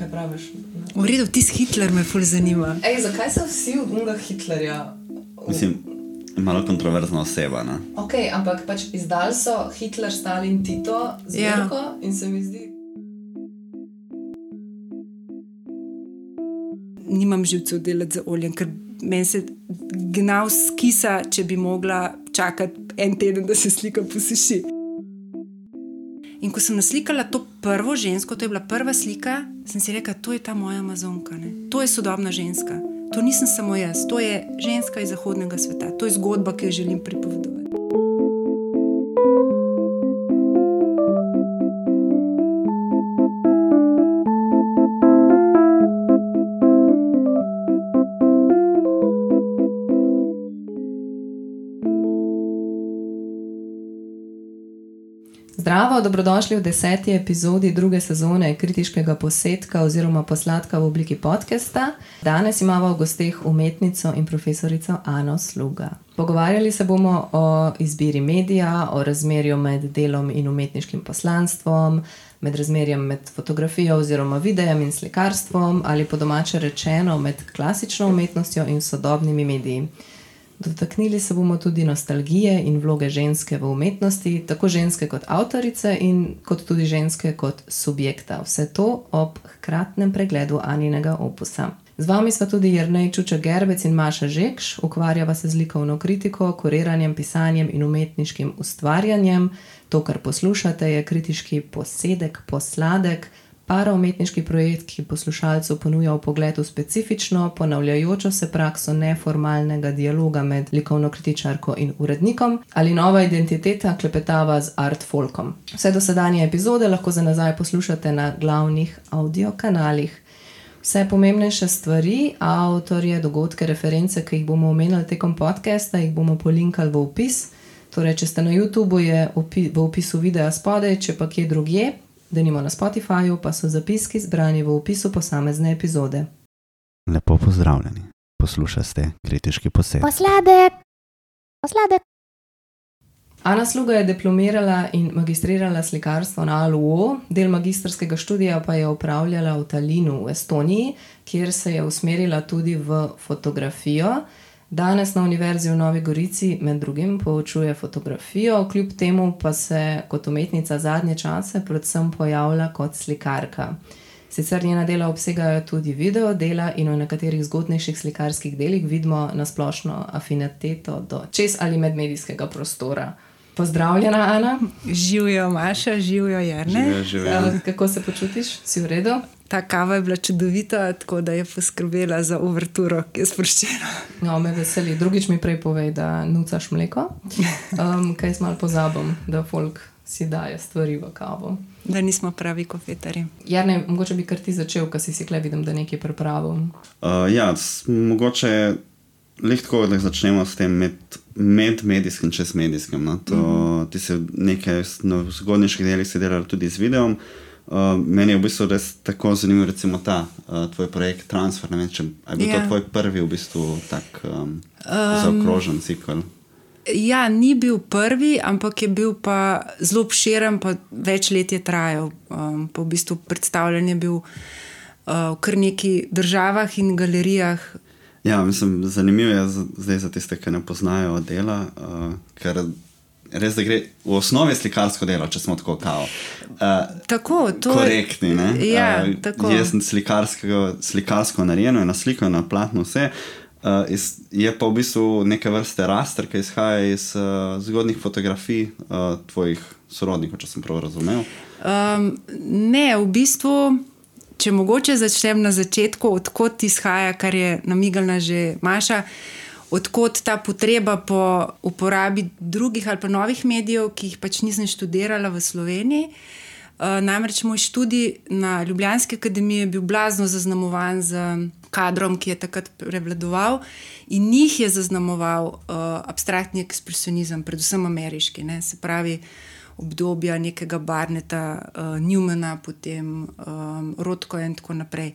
Kaj praviš? V redu, tis Hitler me ful zanima. Zakaj so vsi od unga Hitlerja? Mislim, malo kontroverzna oseba, ne? Ok, ampak pač izdali so Hitler, Stalin, Tito zbirko in se mi zdi... Nimam živcev delati za oljem, ker meni se gnal skisa, če bi mogla čakati en teden, da se slika posuši. In ko sem naslikala to prvo žensko, to je bila prva slika, sem si rekla, to je ta moja Amazonka, ne? To je sodobna ženska. To nisem samo jaz, to je ženska iz zahodnega sveta. To je zgodba, ki jo želim pripovedovati. Zdravo, dobrodošli v 10. epizodi druge sezone kritiškega posedka oziroma posladka v obliki podcasta. Danes imamo v gosteh umetnico in profesorico Ano Sluga. Pogovarjali se bomo o izbiri medija, o razmerju med delom in umetniškim poslanstvom, med razmerjem med fotografijo oziroma videjem in slikarstvom ali po domače rečeno med klasično umetnostjo in sodobnimi mediji. Dotaknili se bomo tudi nostalgije in vloge ženske v umetnosti, tako ženske kot avtorice in kot tudi ženske kot subjekta. Vse to ob hkratnem pregledu Aninega opusa. Z vami sva tudi Jernej Čuča-Gerbec in Maša Žekš, ukvarjava se z likovno kritiko, kuriranjem, pisanjem in umetniškim ustvarjanjem. To, kar poslušate, je kritiški posedek, posladek, paraumetniški projekt, ki poslušalcu ponuja vpogled v specifično, ponavljajočo se prakso neformalnega dialoga med likovno kritičarko in urednikom ali nova identiteta klepetava z art folkom. Vse dosedanje epizode lahko za nazaj poslušate na glavnih audio kanalih. Vse pomembnejše stvari, avtorje, dogodke, reference, ki jih bomo omenili tekom podcasta, jih bomo polinkali v opis. Torej, če ste na YouTubeu, je v opisu videa spodaj, če pa kje drugje, denimo na Spotifyju, pa so zapiski zbrani v opisu posamezne epizode. Lepo pozdravljeni. Poslušate kritiški posed. Posladek. Ana Sluga je diplomirala in magistrirala slikarstvo na ALUO, del magistrskega študija pa je opravljala v Tallinnu v Estoniji, kjer se je usmerila tudi v fotografijo. Danes na Univerzi v Novi Gorici med drugim poučuje fotografijo, kljub temu pa se kot umetnica zadnje čase predvsem pojavlja kot slikarka. Sicer njena dela obsegajo tudi video dela in v nekaterih zgodnejših slikarskih delih vidimo na splošno afiniteto do čez ali medmedijskega prostora. Pozdravljena, Ana. Živjo, Maša, živjo, Jernej. Živjo. Kako se počutiš? Si v redu? Ta kava je bila čudovita, tako da je poskrbela za uverturo, ki je sproščena. No, me veseli. Drugič mi prej povej, da nucaš mleko. Kaj jaz malo pozabim, da folk si daje stvari v kavo. Da nismo pravi kofetari. Jernej, mogoče bi kar ti začel, ko si kle vidim, da nekaj pripravil. Mogoče lehtko, da začnemo s tem medmedijskim, čezmedijskim. No? Ti se nekaj v zgodnejših delih si delali tudi z videom. Meni je v bistvu res tako zanimiv recimo ta tvoj projekt Transfer, ne vem, če je bil to tvoj prvi v bistvu tak zaokrožen cikl. Ja, ni bil prvi, ampak je bil pa zelo obširen, pa več let je trajal. Pa v bistvu predstavljen je bil v kar nekih državah in galerijah. Ja, mislim, zanimivo je zdaj za tiste, ki ne poznajo dela, ker res, da gre v osnovi slikarsko delo, če smo tako korektni, ne? Ja, tako. Jaz sem slikarsko narejeno in naslikal na platno vse. Je pa v bistvu neke vrste raster, ki izhaja iz zgodnih fotografij tvojih sorodnikov, če sem prav razumel. Ne, v bistvu, če mogoče začnem na začetku, odkot izhaja, kar je namignila že Maša, odkot ta potreba po uporabi drugih ali pa novih medijev, ki jih pač nisem študirala v Sloveniji. Namreč moj študij na Ljubljanski akademiji je bil blazno zaznamovan z kadrom, ki je takrat prevladoval in njih je zaznamoval abstraktni ekspresionizem, predvsem ameriški. Ne? Se pravi, obdobja nekega Barneta, Newmana, potem Rothko in tako naprej.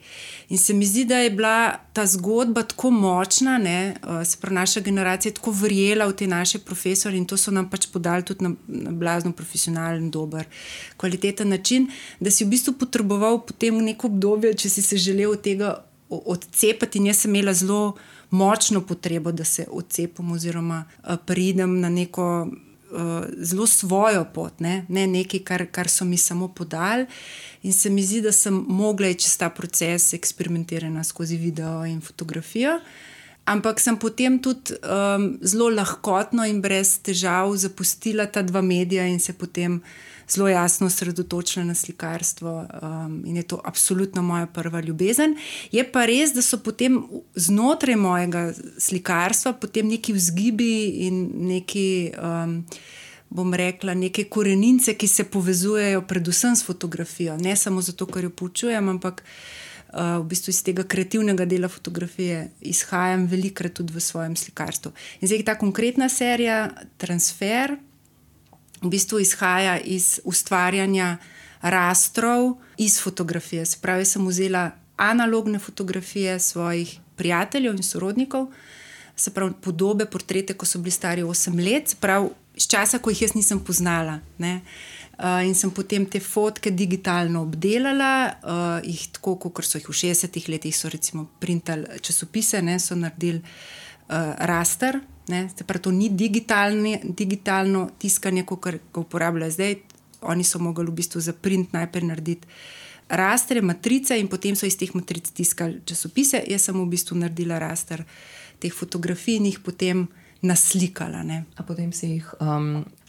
In se mi zdi, da je bila ta zgodba tako močna, ne, se pravi, naša generacija je tako verjela v te naše profesorje in to so nam pač podali tudi na blazno profesionalen, dober, kvaliteten način, da si v bistvu potreboval potem neko obdobje, če si se želel od tega odcepati, in jaz sem imela zelo močno potrebo, da se odcepim oziroma pridem na neko zelo svojo pot, ne nekaj, kar so mi samo podali, in se mi zdi, da sem mogla čez ta proces eksperimentirana skozi video in fotografijo, ampak sem potem tudi zelo lahkotno in brez težav zapustila ta dva medija in se potem zelo jasno osredotočila na slikarstvo, in je to absolutno moja prva ljubezen. Je pa res, da so potem znotraj mojega slikarstva potem neki vzgibi in neki, bom rekla, neke korenince, ki se povezujejo predvsem s fotografijo. Ne samo zato, ker jo poučujem, ampak v bistvu iz tega kreativnega dela fotografije izhajam velikokrat tudi v svojem slikarstvu. In zdaj ta konkretna serija Transfer v bistvu izhaja iz ustvarjanja rastrov iz fotografije. Se pravi, sem vzela analogne fotografije svojih prijateljev in sorodnikov, se pravi, podobe, portrete, ko so bili stari 8 let, se pravi, iz časa, ko jih jaz nisem poznala, ne. In sem potem te fotke digitalno obdelala, jih tako, kot so jih v 60 letih, so recimo printali časopise, ne, so naredili raster, ne, se pravi, to ni digitalno tiskanje, kot ga uporabljajo zdaj. Oni so mogli v bistvu za print najprej narediti rastre, matrice in potem so iz teh matric tiskali časopise. Jaz sem v bistvu naredila raster teh fotografij in jih potem naslikala. Ne. A potem si jih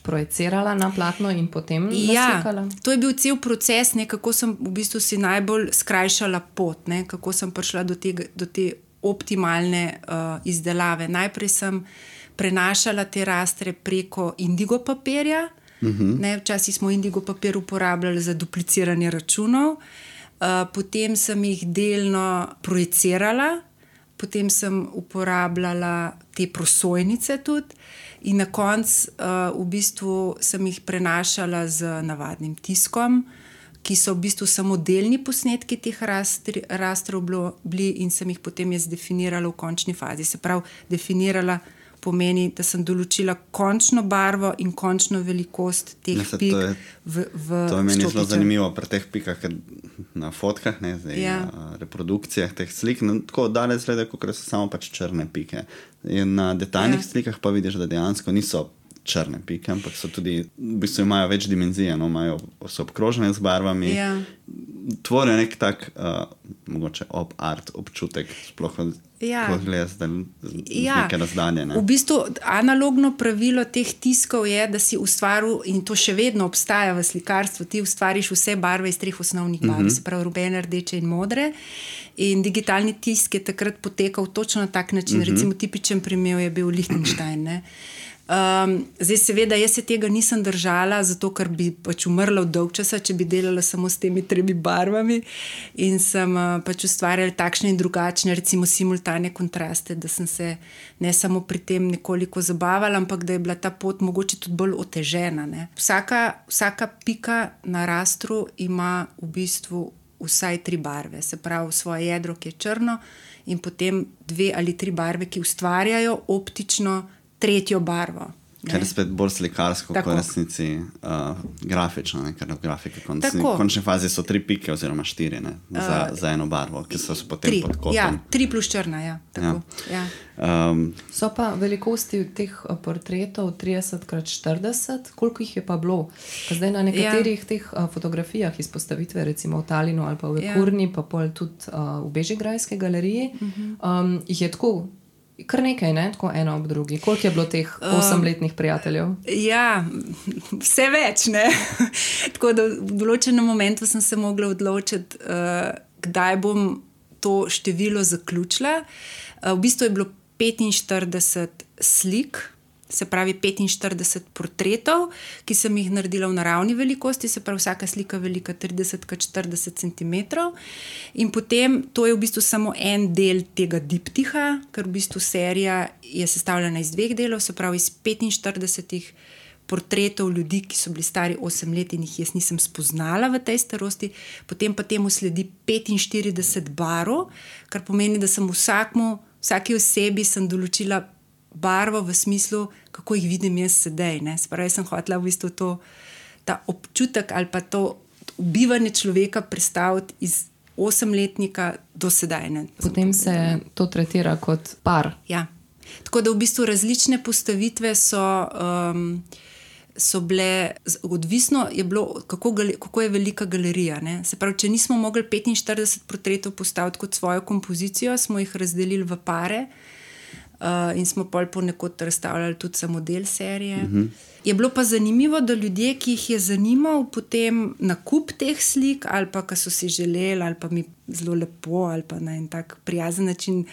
projecirala na platno in potem naslikala? Ja, to je bil cel proces, ne, kako sem v bistvu si najbolj skrajšala pot, ne, kako sem prišla do te optimalne izdelave. Najprej sem prenašala te rastre preko indigo papirja. Ne, včasih smo indigo papir uporabljali za dupliciranje računov, potem sem jih delno projecirala, potem sem uporabljala te prosojnice tudi in na koncu v bistvu sem jih prenašala z navadnim tiskom, ki so v bistvu samo delni posnetki teh rastrov bili in sem jih potem jaz definirala v končni fazi. Se pravi, definirala pomeni, da sem določila končno barvo in končno velikost teh pik v štopiču. To je meni zelo zanimivo pri teh pikah, na fotkah, ne, zdaj, reprodukcijah teh slik, tako daleč gleda, kot so samo pač črne pike. In na detaljnih slikah pa vidiš, da dejansko niso črne pike, ampak so tudi, v bistvu imajo več dimenzije, no, so obkrožene z barvami, tvorijo nek tak mogoče art občutek, sploh ko gledaš z neke razdalje. Ne? V bistvu analogno pravilo teh tiskov je, da si ustvaril, in to še vedno obstaja v slikarstvu, ti ustvariš vse barve iz 3 osnovnih barv, se pravi rubene, rdeče in modre, in digitalni tisk je takrat potekal točno na tak način. Recimo tipičen primer je bil Lichtenstein, ne. Zdaj seveda jaz se tega nisem držala, zato ker bi pač umrla v dolg časa, če bi delala samo s temi 3 barvami, in sem pač ustvarjala takšne in drugačne, recimo simultane kontraste, da sem se ne samo pri tem nekoliko zabavala, ampak da je bila ta pot mogoče tudi bolj otežena, ne. Vsaka pika na rastru ima v bistvu vsaj 3 barve, se pravi svoje jedro, ki je črno, in potem 2 ali 3 barve, ki ustvarjajo optično 3. barvo. Ker je spet bolj slikarsko, kot resnici grafično, ne? Ker v grafiki v končni fazi so 3 pike oziroma 4, ne? Za eno barvo, ki so potem pod kotom. Ja, 3 plus črna, ja. Tako. Ja. So pa velikosti teh portretov 30x40, koliko jih je pa bilo? Zdaj na nekaterih teh fotografijah izpostavitve, recimo v Talinu ali pa v Kurni, pa pol tudi v Bežigrajski galeriji, jih je tako kar nekaj, ne? Tako eno ob drugi. Koliko je bilo teh 8-letnih prijateljev? Ja, vse več, ne. Tako da v določenem momentu sem se mogla odločiti, kdaj bom to število zaključila. V bistvu je bilo 45 slik, se pravi 45 portretov, ki sem jih naredila v naravni velikosti, se pravi vsaka slika velika 30x40 cm. In potem to je v bistvu samo en del tega diptiha, ker v bistvu serija je sestavljena iz 2 delov, se pravi iz 45 portretov ljudi, ki so bili stari 8 let in jih jaz nisem spoznala v tej starosti, potem pa temu sledi 45 barv, kar pomeni, da sem vsaki osebi sem določila barvo v smislu, kako jih vidim jaz sedaj. Se pravi, sem hotela v bistvu ta občutek ali pa to ubivanje človeka predstaviti iz 8-letnika do sedaj. Ne? Potem se to tretira kot par. Ja. Tako da v bistvu različne postavitve so bile, odvisno je bilo, kako je velika galerija. Ne? Se pravi, če nismo mogli 45 portretov postaviti kot svojo kompozicijo, smo jih razdelili v pare in smo ponekod razstavljali tudi samo del serije. Je bilo pa zanimivo, da ljudje, ki jih je zanimal potem nakup teh slik, ali pa ki so si želeli, ali pa mi zelo lepo, ali pa na en tak prijazen način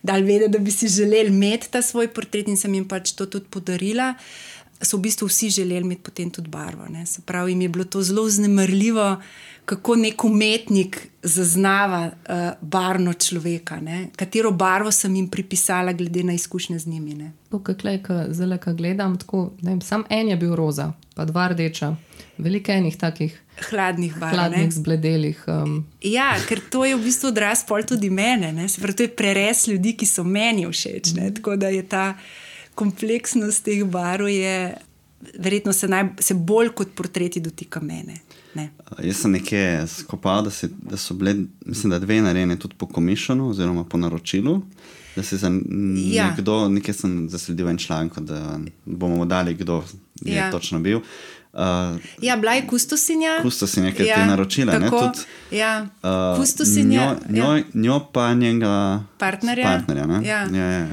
dali vedeti, da bi si želeli imeti ta svoj portret in sem jim pač to tudi podarila, so v bistvu vsi želeli imeti potem tudi barvo. Ne? Se pravi, jim je bilo to zelo vznemirljivo, kako nek umetnik zaznava barvno človeka, ne? Katero barvo sem jim pripisala glede na izkušnje z njimi. Ne? Zdaj, ko gledam, tako, sam en je bil roza, pa 2 rdeča, veliko enih takih hladnih barv. Hladnih, zbledelih. Ja, ker to je v bistvu odraz pol tudi mene. Ne? Se pravi, to je prerez ljudi, ki so meni všeč. Ne? Tako da je ta kompleksnost teh barv je verjetno se bolj kot portreti dotika mene. Ne. Jaz sem nekje skopal, da so bile, mislim, da 2 narejene tudi po komisionu oziroma po naročilu, da se za nekdo, nekaj sem zasledil en članek, da bomo dali, kdo je točno bil. Bila je kustosinja. Kustosinja, ki je te naročila. Tako, ne, tudi, kustosinja. Njo pa njega partnerja. Ne? Ja.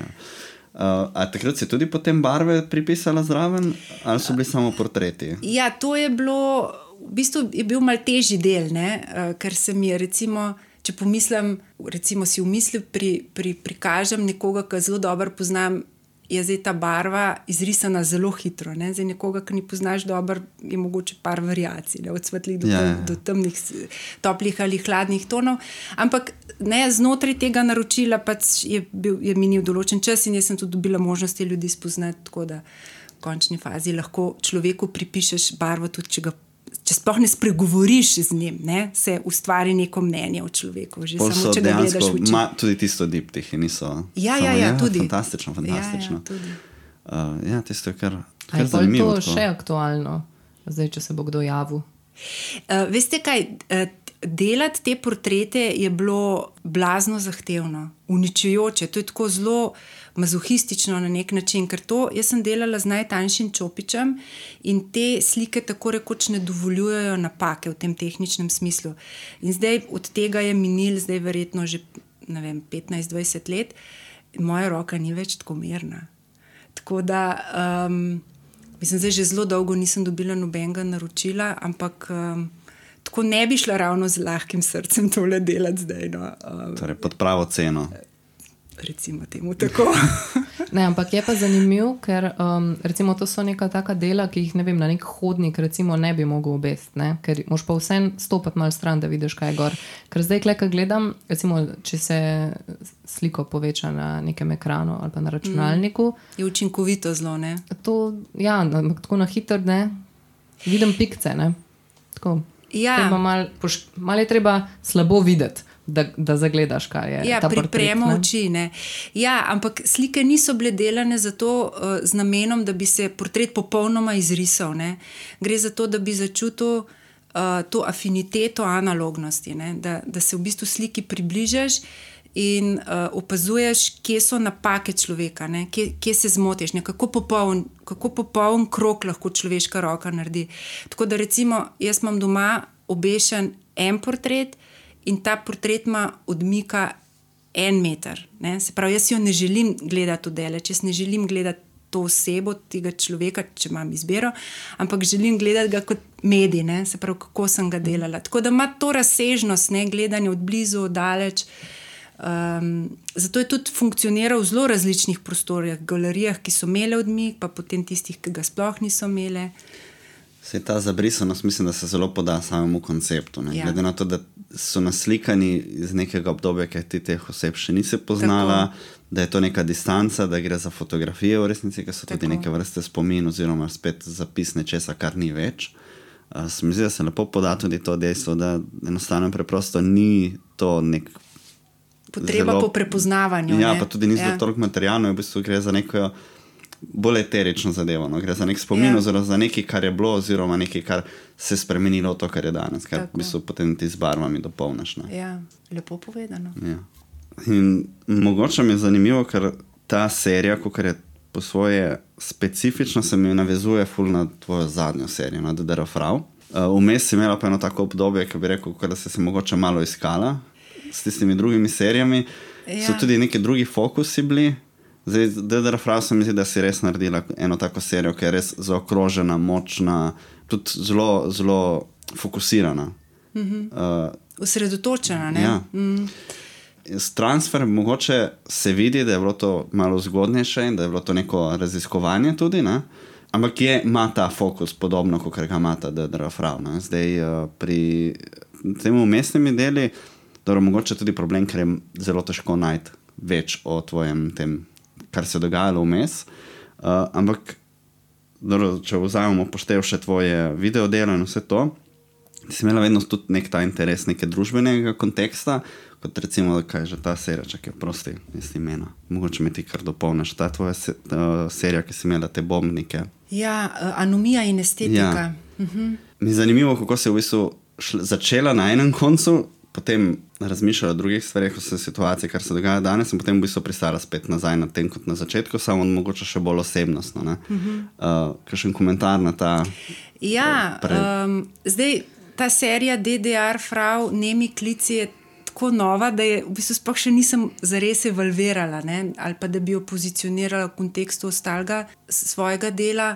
A takrat si tudi potem barve pripisala zraven, ali so bili samo portreti? Ja, to je bilo, v bistvu je bil mal težji del, ne? Ker se mi je recimo, če pomislim, recimo si v misli prikažem nekoga, ki zelo dobro poznam, je zdaj ta barva izrisana zelo hitro. Ne? Zdaj nekoga, ki ni poznaš dobro, je mogoče par variacij, ne? Od svetlih do temnih, toplih ali hladnih tonov. Ampak ne, znotraj tega naročila pač je minil določen čas in jaz sem tudi dobila možnosti ljudi spoznati, tako da v končni fazi lahko človeku pripišeš barvo tudi, če sploh ne spregovoriš z njim, ne, se ustvari neko mnenje o človeku. Že samo, če ga gledaš v oči. Tudi tisto diptihi niso. Ja, tudi. Fantastično. Ja, tudi. Tisto je kar zanimivo. zanimivo. Je to še aktualno, zdaj, če se bo kdo javil? Veste kaj, delati te portrete je bilo blazno zahtevno, uničujoče. To je tako zelo mazohistično na nek način, ker jaz sem delala z najtanjšim čopičem in te slike tako rekoč ne dovoljujejo napake v tem tehničnem smislu. In zdaj od tega je minil zdaj verjetno že 15-20 let in moja roka ni več tako mirna. Tako da mislim, zdaj že zelo dolgo nisem dobila nobenega naročila, ampak tako ne bi šla ravno z lahkim srcem tole delati zdaj. No. Torej pod pravo ceno. Recimo temu tako. Ne, ampak je pa zanimiv, ker recimo to so neka taka dela, ki jih na nek hodnik recimo ne bi mogel obesti, ne? Ker moš pa vsem stopati malo stran, da vidiš, kaj je gor. Ker zdaj, ko gledam, recimo, če se sliko poveča na nekem ekranu ali pa na računalniku. Je učinkovito zelo, ne? To, ja, tako na hitro, ne? Vidim pikce, ne? Tako. Ja. Malo je treba slabo videti, da zagledaš, kaj je ta portret. Pripremo oči, ne. Ja, ampak slike niso bile delane zato z namenom, da bi se portret popolnoma izrisal. Ne. Gre za to, da bi začutil to afiniteto analognosti, ne. Da se v bistvu sliki približaš in opazuješ, kje so napake človeka, ne. Kje se zmotiš, ne. Kako popoln krog lahko človeška roka naredi. Tako da recimo, jaz imam doma obešen en portret in ta portret ima odmika 1 meter. Ne? Se pravi, jaz jo ne želim gledati odaleč, jaz ne želim gledati to osebo, tega človeka, če imam izbiro, ampak želim gledati ga kot medij, ne? Se pravi, kako sem ga delala. Tako da ima to razsežnost, ne? Gledanje od blizu, odaleč. Zato je tudi funkcioniral v zelo različnih prostorih, galerijah, ki so imele odmik, pa potem tistih, ki ga sploh niso imele. Se ta zabrisanost, mislim, da se zelo poda samemu konceptu. Ja. Glede na to, da so naslikani iz nekega obdobja, ki ti teh oseb še nisi poznala, da je to neka distanca, da gre za fotografije v resnici, ki so tudi neke vrste spomin oziroma spet zapis nečesa, kar ni več. Se mi zdi, da se lepo poda tudi to dejstvo, da enostavno preprosto ni to nek potreba po prepoznavanju. Ja, pa tudi ni zelo toliko materialno, v bistvu gre za neko bolj eterično zadevo. No? Gre za nek spomin oziroma za nekaj, kar je bilo oziroma nekaj, kar se je spremenilo v to, kar je danes, kar v bistvu potem ti z barvami dopolniš. Ja, lepo povedano. Ja. In mogoče mi je zanimivo, ker ta serija, kakor je po svoje specifično, se mi navezuje ful na tvojo zadnjo serijo, na The Death of Frau. Vmes si imela pa eno tako obdobje, ki bi rekel, da si se mogoče malo iskala s tistimi drugimi serijami. So tudi neki drugi fokusi bili. Zdaj, The Death of Frau se mi zdi, da si res naredila eno tako serijo, ki je res zaokrožena, močna, tudi zelo, zelo fokusirana. Osredotočena, ne? Ja. S Transfer mogoče se vidi, da je bilo to malo zgodnejše in da je bilo to neko raziskovanje tudi, ne? Ampak ima ta fokus podobno, kot ga ima ta The Death of Frau. Zdaj pri tem umestnimi deli, dobro, mogoče tudi problem, ker je zelo težko najti več o tvojem tem, kar se je dogajalo vmes. Ampak dobro, če vzajemo poštev še tvoje videodelo in vse to, si imela vedno tudi nek ta interes neke družbenega konteksta, kot recimo, kaj je že ta serija, čakaj, prosti, isti imena. Mogoče mi ti kar dopolniš. Ta tvoja serija, ki si imela te bombnike. Ja, anomija in estetika. Ja. Mi je zanimivo, kako si v bistvu začela na enem koncu, potem razmišljala o drugih stvarih, o situaciji, kar se dogaja danes, in potem v bistvu pristala spet nazaj na tem, kot na začetku, samo mogoče še bolj osebnostno. Kakšen komentar na ta... Ja, zdaj ta serija DDR Frau, Nemi klici je tako nova, da je v bistvu sploh še nisem zares evalvirala, ne? Ali pa da bi jo pozicionirala v kontekstu ostalega svojega dela.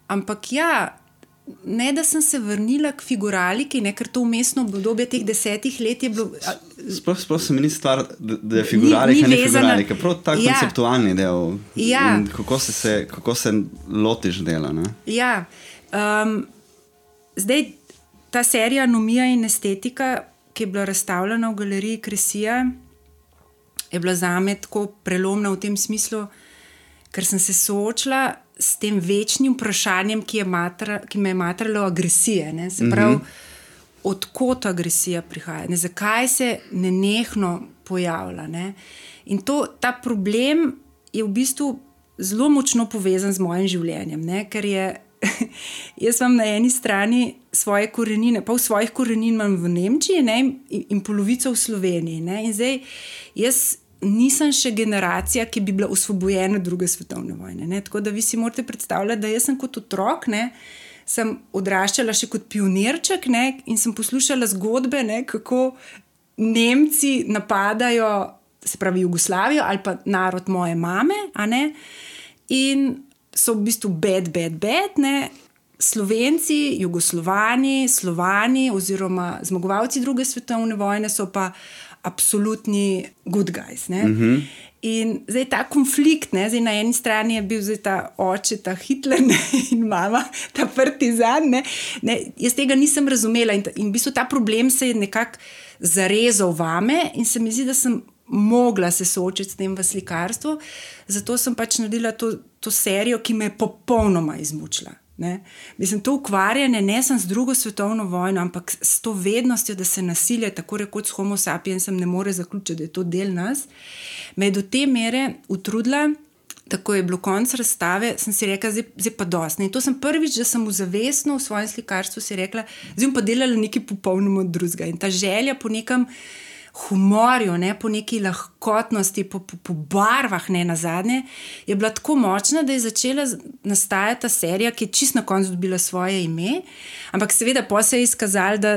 Ampak ja, ne da sem se vrnila k figuraliki, ne, ker to umestno obdobje teh 10 let je bilo... Sploh se mi ni stvar, da je figuralika, ni figuralika, prav ta konceptualni del. Ja. Kako se lotiš dela, ne? Ja, zdaj ta serija Anomija in estetika, ki je bila razstavljena v galeriji Kresija, je bila zame tako prelomna v tem smislu, ker sem se soočila s tem večnim vprašanjem, ki me je matralo agresije. Ne? Se pravi, odkot agresija prihaja, ne? Zakaj se nenehno pojavlja. Ne? In ta problem je v bistvu zelo močno povezan z mojim življenjem, ne? Ker je jaz imam na eni strani svoje korenine, pa v svojih korenin imam v Nemčiji, ne, in polovico v Sloveniji. Ne, in zdaj jaz nisem še generacija, ki bi bila osvobojena druge svetovne vojne. Ne, tako da vi si morate predstavljati, da jaz sem kot otrok, ne, sem odraščala še kot pionirček, ne, in sem poslušala zgodbe, ne, kako Nemci napadajo, se pravi Jugoslavijo ali pa narod moje mame, a ne, in so v bistvu bad, ne, Slovenci, Jugoslovani, Slovani oziroma zmagovalci druge svetovne vojne so pa absolutni good guys. Ne. In zdaj ta konflikt, ne, zdaj na eni strani je bil zdaj ta oče, ta Hitler, ne, in mama, ta partizan, ne, jaz tega nisem razumela in v bistvu ta problem se je nekako zarezal vame in se mi zdi, da sem mogla se soočiti s tem v slikarstvu, zato sem pač naredila to serijo, ki me je popolnoma izmučila. Ne? Mislim, to ukvarjanje ne sem z drugo svetovno vojno, ampak s to vednostjo, da se nasilje, tako rekoč s homo sapiensem, ne more zaključiti, da je to del nas, me je do te mere utrudila, tako je bilo konc razstave, sem si rekla, zdaj pa dosti. In to sem prvič, da sem zavestno v svojem slikarstvu si rekla, zdaj bom pa delala nekaj popolnoma drugega. In ta želja po nekem humorju, ne, po neki lahkotnosti, po barvah, ne, nazadnje, je bila tako močna, da je začela nastajati ta serija, ki je čisto na koncu dobila svoje ime, ampak seveda pa se je izkazalo, da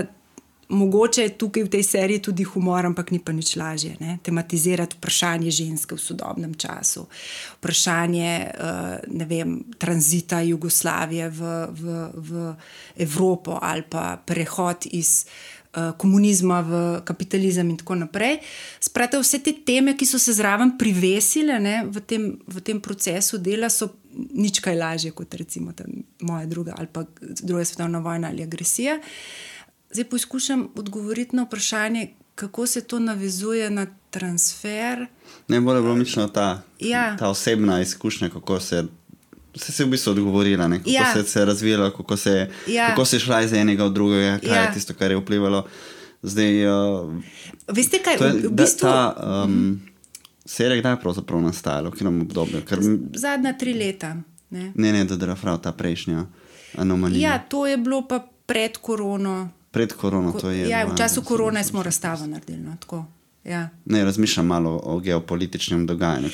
mogoče je tukaj v tej seriji tudi humor, ampak ni pa nič lažje, ne, tematizirati vprašanje ženske v sodobnem času, vprašanje, ne vem, tranzita Jugoslavije v Evropo ali pa prehod iz komunizma v kapitalizem in tako naprej. Sprate, vse te teme, ki so se zraven privesile, ne, v tem procesu dela, so nič kaj lažje kot recimo moja druga ali pa druga svetovna vojna ali agresija. Zdaj poskušam odgovoriti na vprašanje, kako se to navezuje na transfer. Ne, bolj je bilo mišljeno ta osebna izkušnja, kako se v bistvu odgovorila, ne? Kako se je razvijala, kako se je šla iz enega v drugega, kaj je tisto, kar je vplivalo. Zdaj, veste kaj, v bistvu... Serija kdaj je pravzaprav nastajala, v katerem obdobju? Zadnja 3 leta. Ne, DDR-Frau, ta prejšnja anomalija. Ja, to je bilo pa pred korono. Pred korono to je. Ja, v času korone smo razstavo naredili, no, tako. Ja. Ne, razmišljam malo o geopolitičnem dogajanju.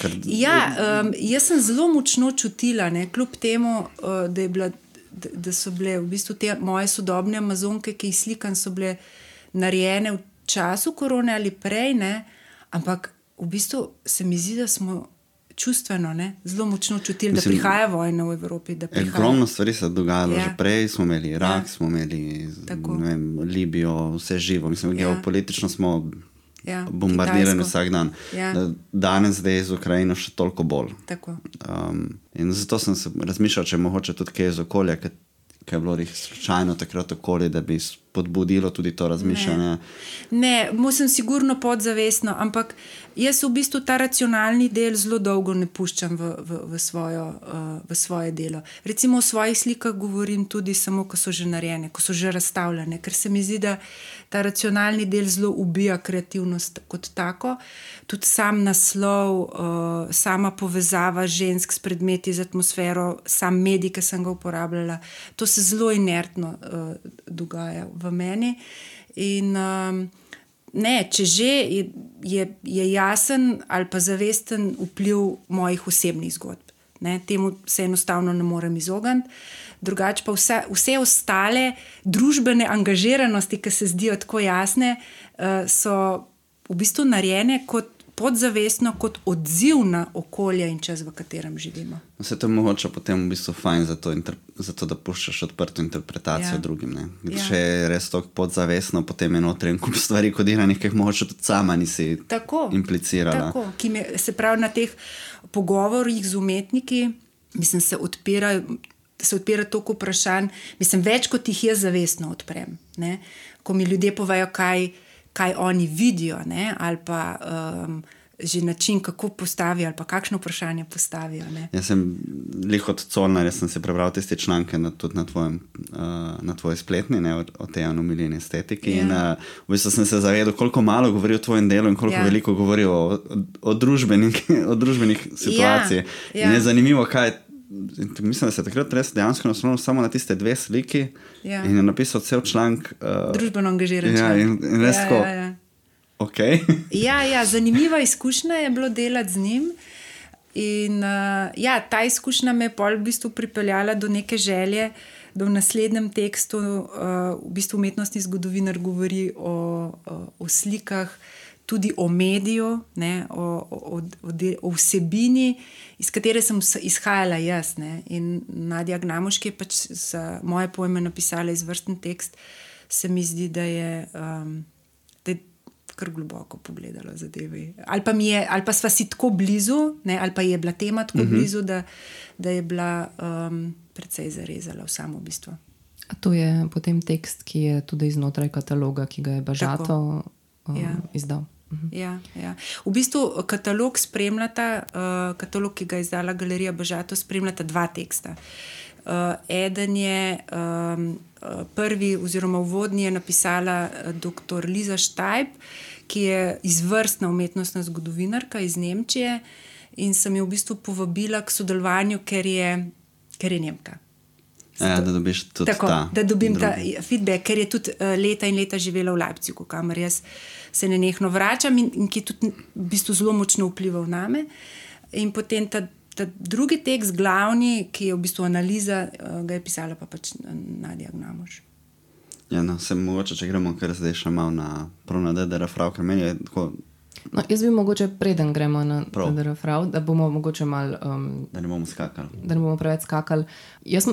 Jaz sem zelo močno čutila, ne, kljub temu, da so bile v bistvu te moje sodobne amazonke, ki jih slikam, so bile narejene v času korone ali prej, ne, ampak v bistvu se mi zdi, da smo čustveno, ne, zelo močno čutili, da prihaja vojna v Evropi. Ogromno stvari se je dogajalo že prej, smo imeli Irak, smo imeli Libijo, vse živo. Mislim, geopolitično smo bombardirani vsak dan. Danes zdaj z Ukrajino še toliko bolj. In zato sem se razmišljal, če mogoče tudi kaj iz okolja, kaj je bilo slučajno takrat okoli, da bi spodbudilo tudi to razmišljanje. Ne, sem sigurno podzavestno, ampak jaz v bistvu ta racionalni del zelo dolgo ne puščam v svoje delo. Recimo o svojih slikah govorim tudi samo, ko so že narejene, ko so že razstavljene, ker se mi zdi, da ta racionalni del zelo ubija kreativnost kot tako. Tudi sam naslov, sama povezava žensk s predmeti, z atmosfero, sam medij, ki sem ga uporabljala, to se zelo inertno dogaja v meni. In ne, če že je jasen ali pa zavesten vpliv mojih osebnih zgodb. Ne, temu se enostavno ne morem izogniti. Drugače pa vse ostale družbene angažiranosti, ki se zdijo tako jasne, so v bistvu narejene kot podzavestno, kot odziv na okolje in čas, v katerem živimo. Vse to je mogoče potem v bistvu fajn za to, da puščaš odprto interpretacijo drugim. Ne? Če je res to podzavestno, potem je notri en kup stvari kodiranih, ki jih mogoče tudi sama nisi implicirala. Tako, se pravi na teh pogovorih z umetniki, mislim, se odpira toliko vprašanj, mislim, več kot jih jaz zavestno odprem. Ne? Ko mi ljudje povejo, kaj oni vidijo, ne? Ali pa že način, kako postavijo, ali pa kakšno vprašanje postavijo. Ne? Jaz sem lih od Colnar, jaz sem se prebral tiste članke tudi na tvoji spletni, ne, o tej anomalini estetiki. In v bistvu sem se zavedal, koliko malo govori o tvojem delu in koliko veliko govori o družbenih situacij. In je zanimivo, kaj mislim, da se takrat res dejansko naslovil samo na tiste 2 sliki in je napisal cel članek. Družbeno angažiran članek. In res tako, okej. Zanimiva izkušnja je bilo delati z njim. In ta izkušnja me je pol v bistvu pripeljala do neke želje, da v naslednjem tekstu v bistvu umetnostni zgodovinar govori o slikah, tudi o mediju, ne, o vsebini, iz katere sem izhajala jaz. Ne. In Nadja Gnamuš, ki je pač za moje pojme napisala izvrsten tekst, se mi zdi, da je kar globoko pogledala zadeve. Ali pa sva si tako blizu, ne, ali pa je bila tema tako blizu, da je bila precej zarezala v samo bistvo. A to je potem tekst, ki je tudi iznotraj kataloga, ki ga je Bažato izdal. Ja. V bistvu katalog spremljata, katalog, ki ga je izdala Galerija Bažato, spremljata 2 teksta. Eden je prvi oziroma uvodni je napisala dr. Liza Štajb, ki je izvrstna umetnostna zgodovinarka iz Nemčije in sem jo v bistvu povabila k sodelovanju, ker je Nemka. Da dobiš tudi da dobim ta feedback, ker je tudi leta in leta živela v Leipzigu, kamor jaz se nenehno vračam in ki tudi v bistvu zelo močno vplival name. In potem ta drugi tekst, glavni, ki je v bistvu analiza, ga je pisala pa pač Nadja Gnamuš. Se mogoče, če gremo kar zdaj še malo prav na DDR-Frau, ker meni je tako... Jaz bi mogoče preden gremo na DDR-Frau, da bomo mogoče malo... Da ne bomo skakali. Da ne bomo preveč skakali. Jaz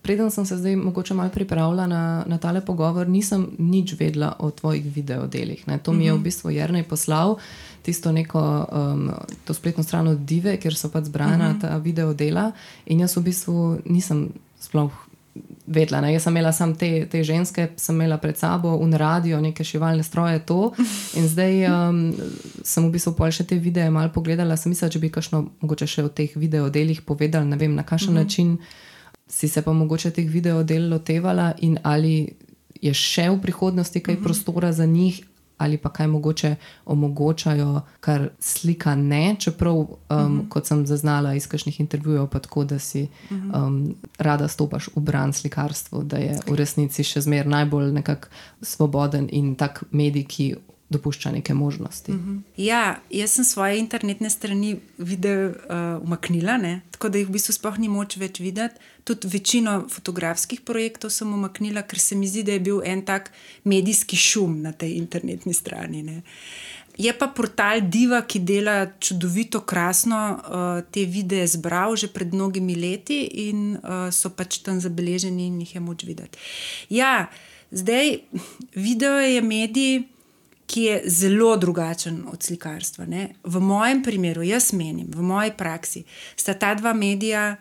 preden sem se zdaj mogoče malo pripravila na tale pogovor, nisem nič vedela o tvojih videodelih. Ne? To mi je v bistvu Jernej poslal, tisto neko to spletno stran od Dive, kjer so pač zbrana ta videodela in jaz v bistvu nisem sploh vedela. Ne? Jaz sem imela samo te ženske, sem imela pred sabo un radio, neke šivalne stroje, to. In zdaj sem v bistvu pol še te videe malo pogledala, sem mislila, če bi kakšno mogoče še o teh videodelih povedala, ne vem, na kakšen način si se pa mogoče teh videodel lotevala in ali je še v prihodnosti kaj prostora za njih, ali pa kaj mogoče omogočajo, kar slika ne, čeprav, kot sem zaznala iz kakšnih intervjujev, pa tako, da si rada stopaš v bran slikarstvu, da je v resnici še zmer najbolj nekak svoboden in tak medij, ki dopušča neke možnosti. Ja, jaz sem svoje internetne strani video umaknila, ne? Tako da jih v bistvu sploh ni moč več videti. Tudi večino fotografskih projektov sem umaknila, ker se mi zdi, da je bil en tak medijski šum na tej internetni strani. Ne? Je pa portal Diva, ki dela čudovito, krasno te videe zbral že pred mnogimi leti in so pač tam zabeleženi in jih je moč videti. Ja, zdaj video je medij, ki je zelo drugačen od slikarstva. Ne? V mojem primeru, jaz menim, v moji praksi, sta ta dva medija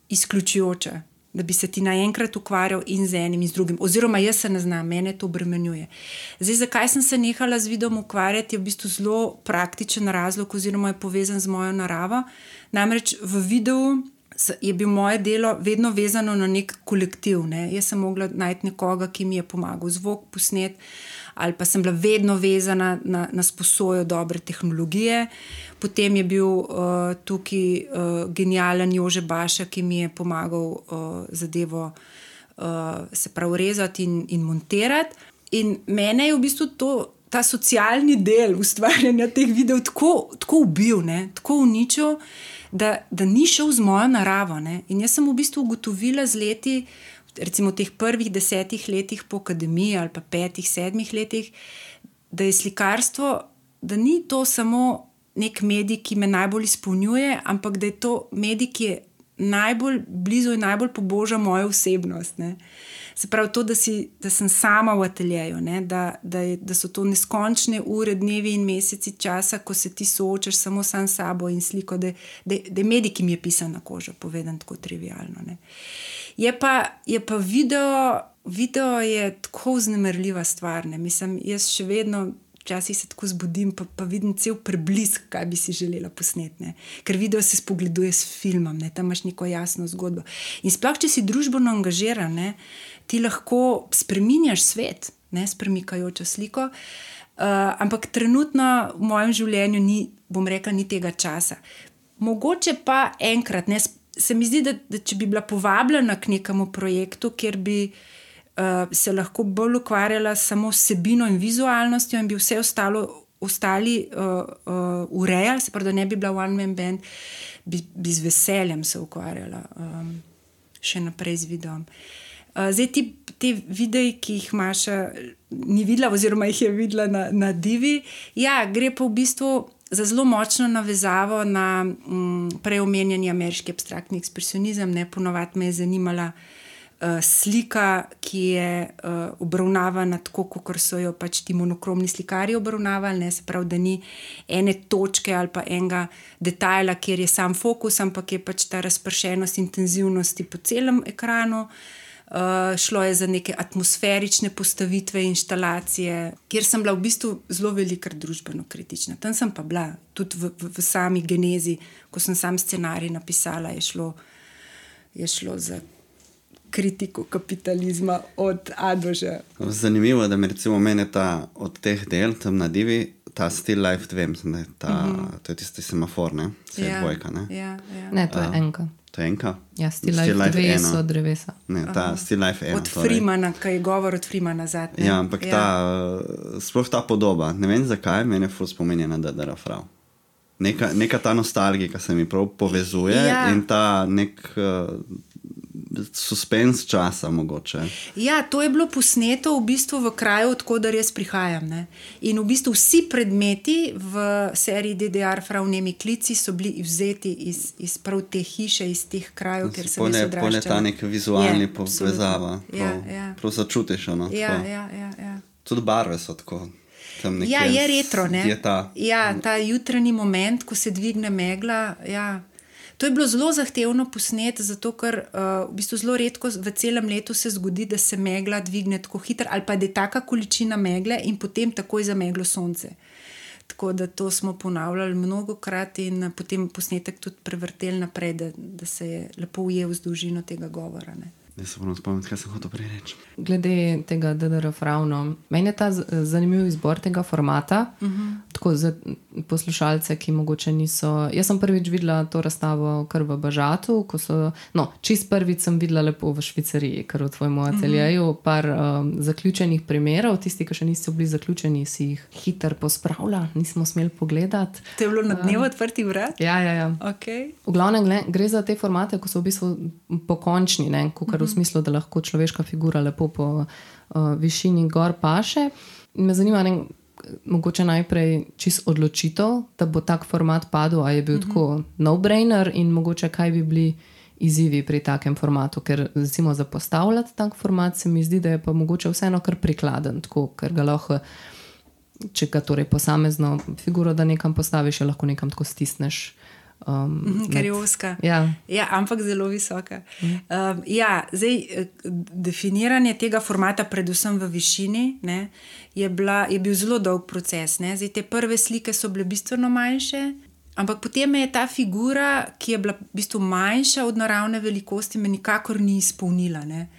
izključujoča, da bi se ti naenkrat ukvarjal in z enim in z drugim. Oziroma, jaz se ne znam, mene to obremenjuje. Zdaj, zakaj sem se nehala z videom ukvarjati, je v bistvu zelo praktičen razlog oziroma je povezan z mojo naravo. Namreč v videu je bil moje delo vedno vezano na nek kolektiv. Ne? Jaz sem mogla najti nekoga, ki mi je pomagal zvok posnet, ali pa sem bila vedno vezana na sposojo dobre tehnologije. Potem je bil tukaj genijalen Jože Baša, ki mi je pomagal zadevo se prav rezati in montirati. In mene je v bistvu ta socialni del ustvarjanja teh videov tako ubil, ne? Tako uničil, da ni šel z mojo naravo. Ne? In jaz sem v bistvu ugotovila z leti, recimo v teh prvih 10 letih po akademiji ali pa 5, 7 letih, da je slikarstvo, da ni to samo nek medij, ki me najbolj izpolnjuje, ampak da je to medij, ki je najbolj blizu in najbolj poboža mojo osebnost. Ne? Se pravi to, da sem sama v ateljeju, ne? Da so to neskončne ure, dnevi in meseci časa, ko se ti soočaš samo sam s sabo in sliko, da je medij, ki mi je pisan na kožo, povedan tako trivialno. Ne? Je pa video je tako vznemirljiva stvar. Ne? Mislim, jaz še vedno včasih se tako zbudim, pa vidim cel preblisk, kaj bi si želela posneti. Ne? Ker video se spogleduje s filmom, ne? Tam imaš neko jasno zgodbo. In sploh, če si družbeno angažiran, ne? Ti lahko spreminjaš svet, ne? S premikajočo sliko, ampak trenutno v mojem življenju ni tega časa. Mogoče pa enkrat, ne? Se mi zdi, da če bi bila povabljena k nekemu projektu, kjer bi se lahko bolj ukvarjala samo s vsebino in vizualnostjo in bi vse ostali urejali, se pravi, da ne bi bila one man band, bi z veseljem se ukvarjala še naprej z videom. Zdaj te videi, ki jih Maša ni videla oziroma jih je videla na Divi, ja, gre pa v bistvu za zelo močno navezavo na preomenjeni ameriški abstraktni ekspresionizem. Ne, ponovadi me je zanimala slika, ki je obravnavana tako, kot so jo pač ti monokromni slikarji obravnavali, ne, se pravi, da ni ene točke ali pa enega detajla, kjer je sam fokus, ampak je pač ta razpršenost intenzivnosti po celem ekranu. Šlo je za neke atmosferične postavitve, inštalacije, kjer sem bila v bistvu zelo velikrat družbeno kritična. Tam sem pa bila, tudi v sami genezi, ko sem sam scenarij napisala, je šlo za kritiko kapitalizma od A do Ž. Zanimivo, da mi recimo mene od teh del, tam na Divi, ta Still Life 2, mislim, da je to je tisti semafor, ne? Se je dvojka, ne? Ja. Ne, to je enka. To je enka? Ja, Still Life 2 so drevesa. Ne, ta Still Life 1. Od Freemana, kaj je govor od Freemana zadnje. Ja, ampak sploh ta podoba, ne vem zakaj, mene ful spominja na D.D.R. Frau. Neka ta nostalgija se mi prav povezuje in ta nek suspens časa mogoče. Ja, to je bilo posneto v bistvu v kraju, odkudar jaz prihajam. Ne? In v bistvu vsi predmeti v seriji D.D.R. Frau Nemi klici so bili vzeti iz prav te hiše, iz teh krajev, kjer sem jaz odraščala. Pone ta nek vizualni povezava. Prav začutiš. Ja. Tudi barve so tako. Ja, je retro, ne? Ta jutranji moment, ko se dvigne megla, ja. To je bilo zelo zahtevno posnet, zato ker v bistvu zelo redko v celem letu se zgodi, da se megla dvigne tako hitro, ali pa da je taka količina megle in potem takoj zameglo sonce. Tako da to smo ponavljali mnogokrat in potem posnetek tudi prevrteli naprej, da se je lepo ujel z dolžino tega govora. Ne. Jaz se moram spomniti, kaj sem hotel prej reči. Glede tega DDRF ravno. Meni je ta zanimiv izbor tega formata, tako za poslušalce, ki mogoče niso... Jaz sem prvič videla to razstavo kar v Bažatu, ko so... No, čist prvič sem videla lepo v Švicariji, kar v tvojem ateljeju, par zaključenih primerov, tisti, ki še niste bili zaključeni, si jih hiter pospravila, nismo smeli pogledati. To je bilo na dnevu odprtih vrat? Ja. Okay. V glavnem gre za te formate, ko so v bistvu pokončni, ne, v smislu, da lahko človeška figura lepo po višini gor paše. Me zanima, mogoče najprej čist odločitev, da bo tak format padel, a je bil tako no-brainer in mogoče kaj bi bili izzivi pri takem formatu, ker recimo za postavljati tak format se mi zdi, da je pa mogoče vseeno kar prikladen, tako, ker ga lahko, če ga torej posamezno figuro, da nekam postaviš, je lahko nekam tako stisneš. Ker je ozka. Ja, ampak zelo visoka. Zdaj, definiranje tega formata, predvsem v višini, ne, je bil zelo dolg proces. Ne. Zdaj, te prve slike so bile bistveno manjše, ampak potem je ta figura, ki je bila v bistvu manjša od naravne velikosti, me nikakor ni izpolnila. Ne.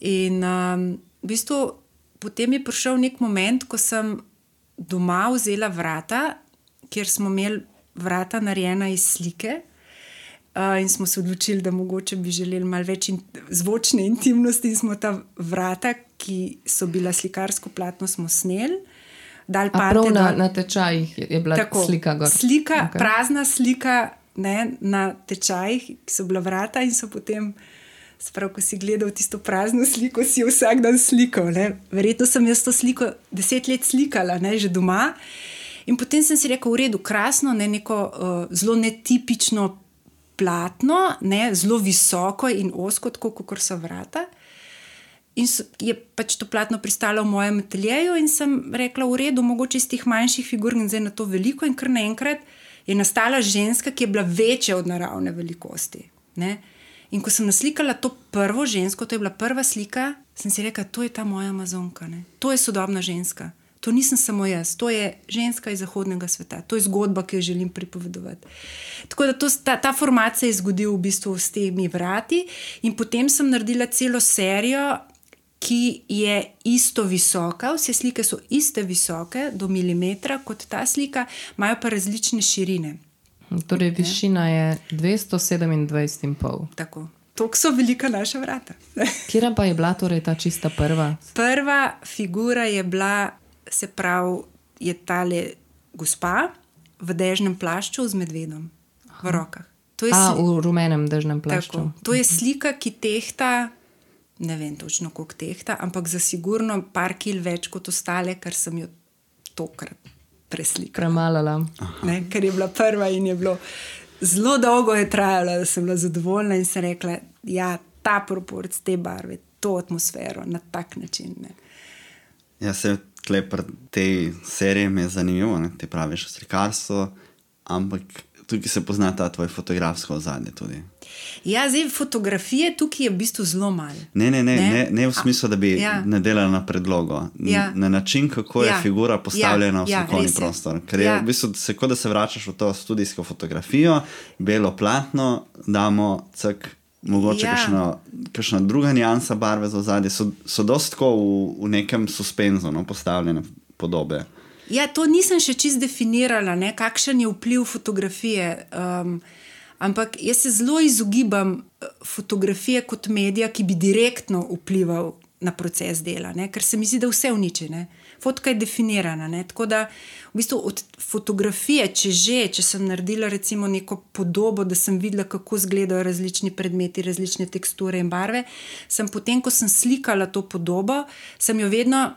In v bistvu potem je prišel nek moment, ko sem doma vzela vrata, kjer smo imeli vrata narejena iz slike in smo se odločili, da mogoče bi želeli malo več zvočne intimnosti in smo ta vrata, ki so bila slikarsko platno, smo sneli. Prav na tečajih je bila tako, slika gor. Slika, okay. Prazna slika, ne, na tečajih, ki so bila vrata in so potem, sprav, ko si gledal tisto prazno sliko, si jo vsak dan slikal. Ne. Verjetno sem jaz to sliko 10 let slikala, ne, že doma. In potem sem si rekel, v redu, krasno, ne, neko zelo netipično platno, ne, zelo visoko in ozko, tako kot so vrata. In je pač to platno pristalo v mojem ateljeju in sem rekla, v redu, mogoče iz teh manjših figur in zdaj na to veliko in kar naenkrat je nastala ženska, ki je bila večja od naravne velikosti. Ne. In ko sem naslikala to prvo žensko, to je bila prva slika, sem si rekla, to je ta moja Amazonka, ne. To je sodobna ženska. To nisem samo jaz, to je ženska iz zahodnega sveta, to je zgodba, ki jo želim pripovedovati. Tako da ta format se je zgodil v bistvu s temi vrati in potem sem naredila celo serijo, ki je isto visoka, vse slike so iste visoke do milimetra kot ta slika, imajo pa različne širine. Torej višina je 227,5. Tako. Toliko so velika naša vrata. Kjera pa je bila torej ta čista prva? Prva figura je bila, se pravi, je tale gospa v dežnem plašču z medvedom v rokah. V rumenem dežnem plašču. Tako. To je slika, ki tehta, ne vem točno koliko tehta, ampak za sigurno par kil več kot ostale, ker sem jo tokrat preslikala. Premalala. Ne, ker je bila prva in je bilo zelo dolgo je trajalo, da sem bila zadovoljna in sem rekla, ja, ta proporc, te barve, to atmosfero, na tak način. Ne. Ja, se tle pri tej seriji mi je zanimivo, ne? Ti praviš o slikarstvu, ampak tukaj se pozna ta tvoj fotografsko ozadje tudi. Ja, zdaj fotografije tukaj je v bistvu zelo malo. Ne v smislu, da bi nadelala na predlogo. Na način, kako je figura postavljena v slikovni prostor. Ker je v bistvu, kot da se vračaš v to studijsko fotografijo, belo platno, damo cak, mogoče kakšna druga nijansa barve za ozadje, so dosti tako v nekem suspenzu, no, postavljene podobe. Ja, to nisem še čisto definirala, ne, kakšen je vpliv fotografije, ampak jaz se zelo izogibam fotografije kot medija, ki bi direktno vplival na proces dela, ne, ker se mi zdi, da vse uniči, ne. Fotka je definirana, ne, tako da v bistvu od fotografije, če sem naredila recimo neko podobo, da sem videla, kako izgledajo različni predmeti, različne teksture in barve, sem potem, ko sem slikala to podobo, sem jo vedno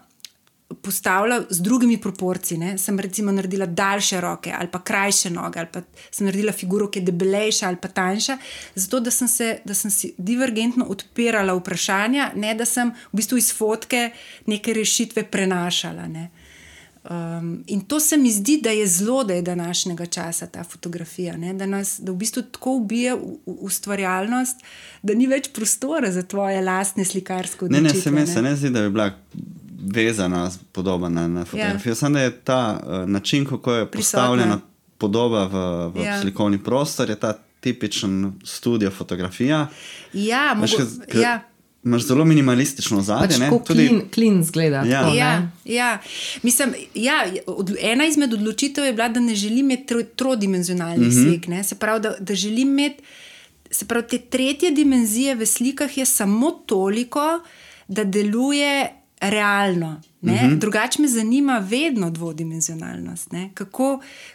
postavila z drugimi proporci, ne. Sem recimo naredila daljše roke ali pa krajše noge, ali pa sem naredila figuro, ki je debelejša ali pa tanjša, zato da sem si divergentno odpirala vprašanja, ne da sem v bistvu iz fotke neke rešitve prenašala, ne. In to se mi zdi, da je zelo, da je današnjega časa ta fotografija, ne? Da v bistvu tako ubija ustvarjalnost, da ni več prostora za tvoje lastne slikarske odločitve. Ne, se ne zdi, da bi bila vezana podoba na fotografijo. Samo da je ta način, kako je postavljena podoba v slikovni prostor, je ta tipičen studio fotografija. Imaš zelo minimalistično ozadje. Clean zgleda. Mislim, ena izmed odločitev je bila, da ne želim imeti trodimenzionalnih slik. Ne? Se pravi, da želim imeti, te tretje dimenzije v slikah je samo toliko, da deluje realno. Drugače me zanima vedno dvodimenzionalnost.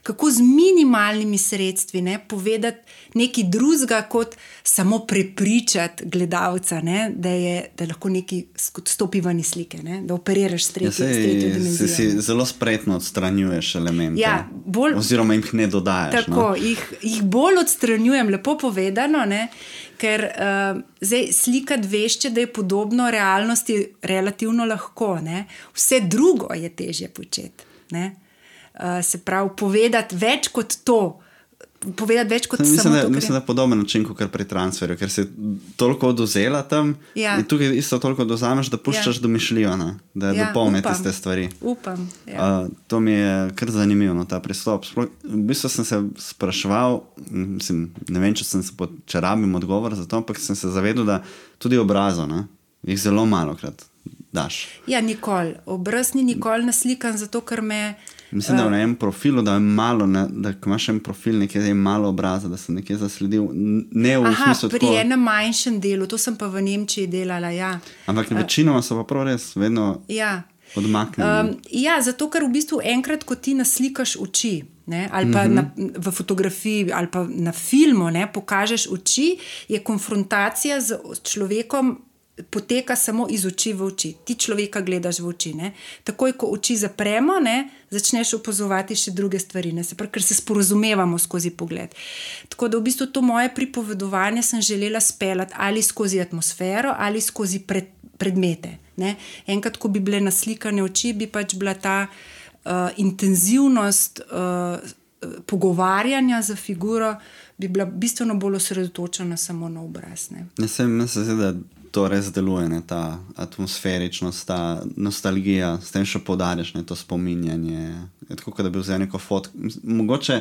Kako z minimalnimi sredstvi povedati nekaj drugega, kot samo prepričati gledalca, da lahko nekaj stopi ven iz slike, da operiraš s tretjo dimenzijo. Si zelo spretno odstranjuješ elemente, oziroma jih ne dodajaš. Tako, jih bolj odstranjujem, lepo povedano, ker zdaj slikati vešče, da je podobno realnosti relativno lahko. Vse drugo je težje početi. Se pravi, povedati več kot to. Povedati več kot samo to. Mislim, da je podoben način, kot pri transferju, ker si toliko oduzela tam in tukaj isto toliko oduzameš, da puščaš domišljivo, da dopolni tiste stvari. Upam. To mi je kar zanimivo, ta pristop. V bistvu sem se spraševal, ne vem, če rabim odgovor za to, ampak sem se zavedal, da tudi obrazov, jih zelo malokrat daš. Nikoli. Obraz ni nikoli naslikan, zato ker me... Mislim, da v enem profilu, da je malo, da imaš en profil, nekje je malo obraza, da sem nekje zasledil. Ne v smislu pri enem manjšem delu, to sem pa v Nemčiji delala, Ampak večinoma so pa prav res vedno odmaknjeni. Zato ker v bistvu enkrat, ko ti naslikaš oči, ali pa v fotografiji, ali pa na filmu, pokažeš oči, je konfrontacija z človekom poteka samo iz oči v oči. Ti človeka gledaš v oči. Takoj, ko oči zapremo, začneš opazovati še druge stvari, ker se sporazumevamo skozi pogled. Tako da v bistvu to moje pripovedovanje sem želela speljati ali skozi atmosfero ali skozi predmete. Enkrat, ko bi bile naslikane oči, bi pač bila ta intenzivnost pogovarjanja za figuro, bi bila bistveno bolj osredotočena samo na obraz. Meni se zdi, da to res deluje, ta atmosferičnost, ta nostalgija, s tem še poudarjaš to spominjanje. Je tako, da bi vzel neko fotko. Mogoče...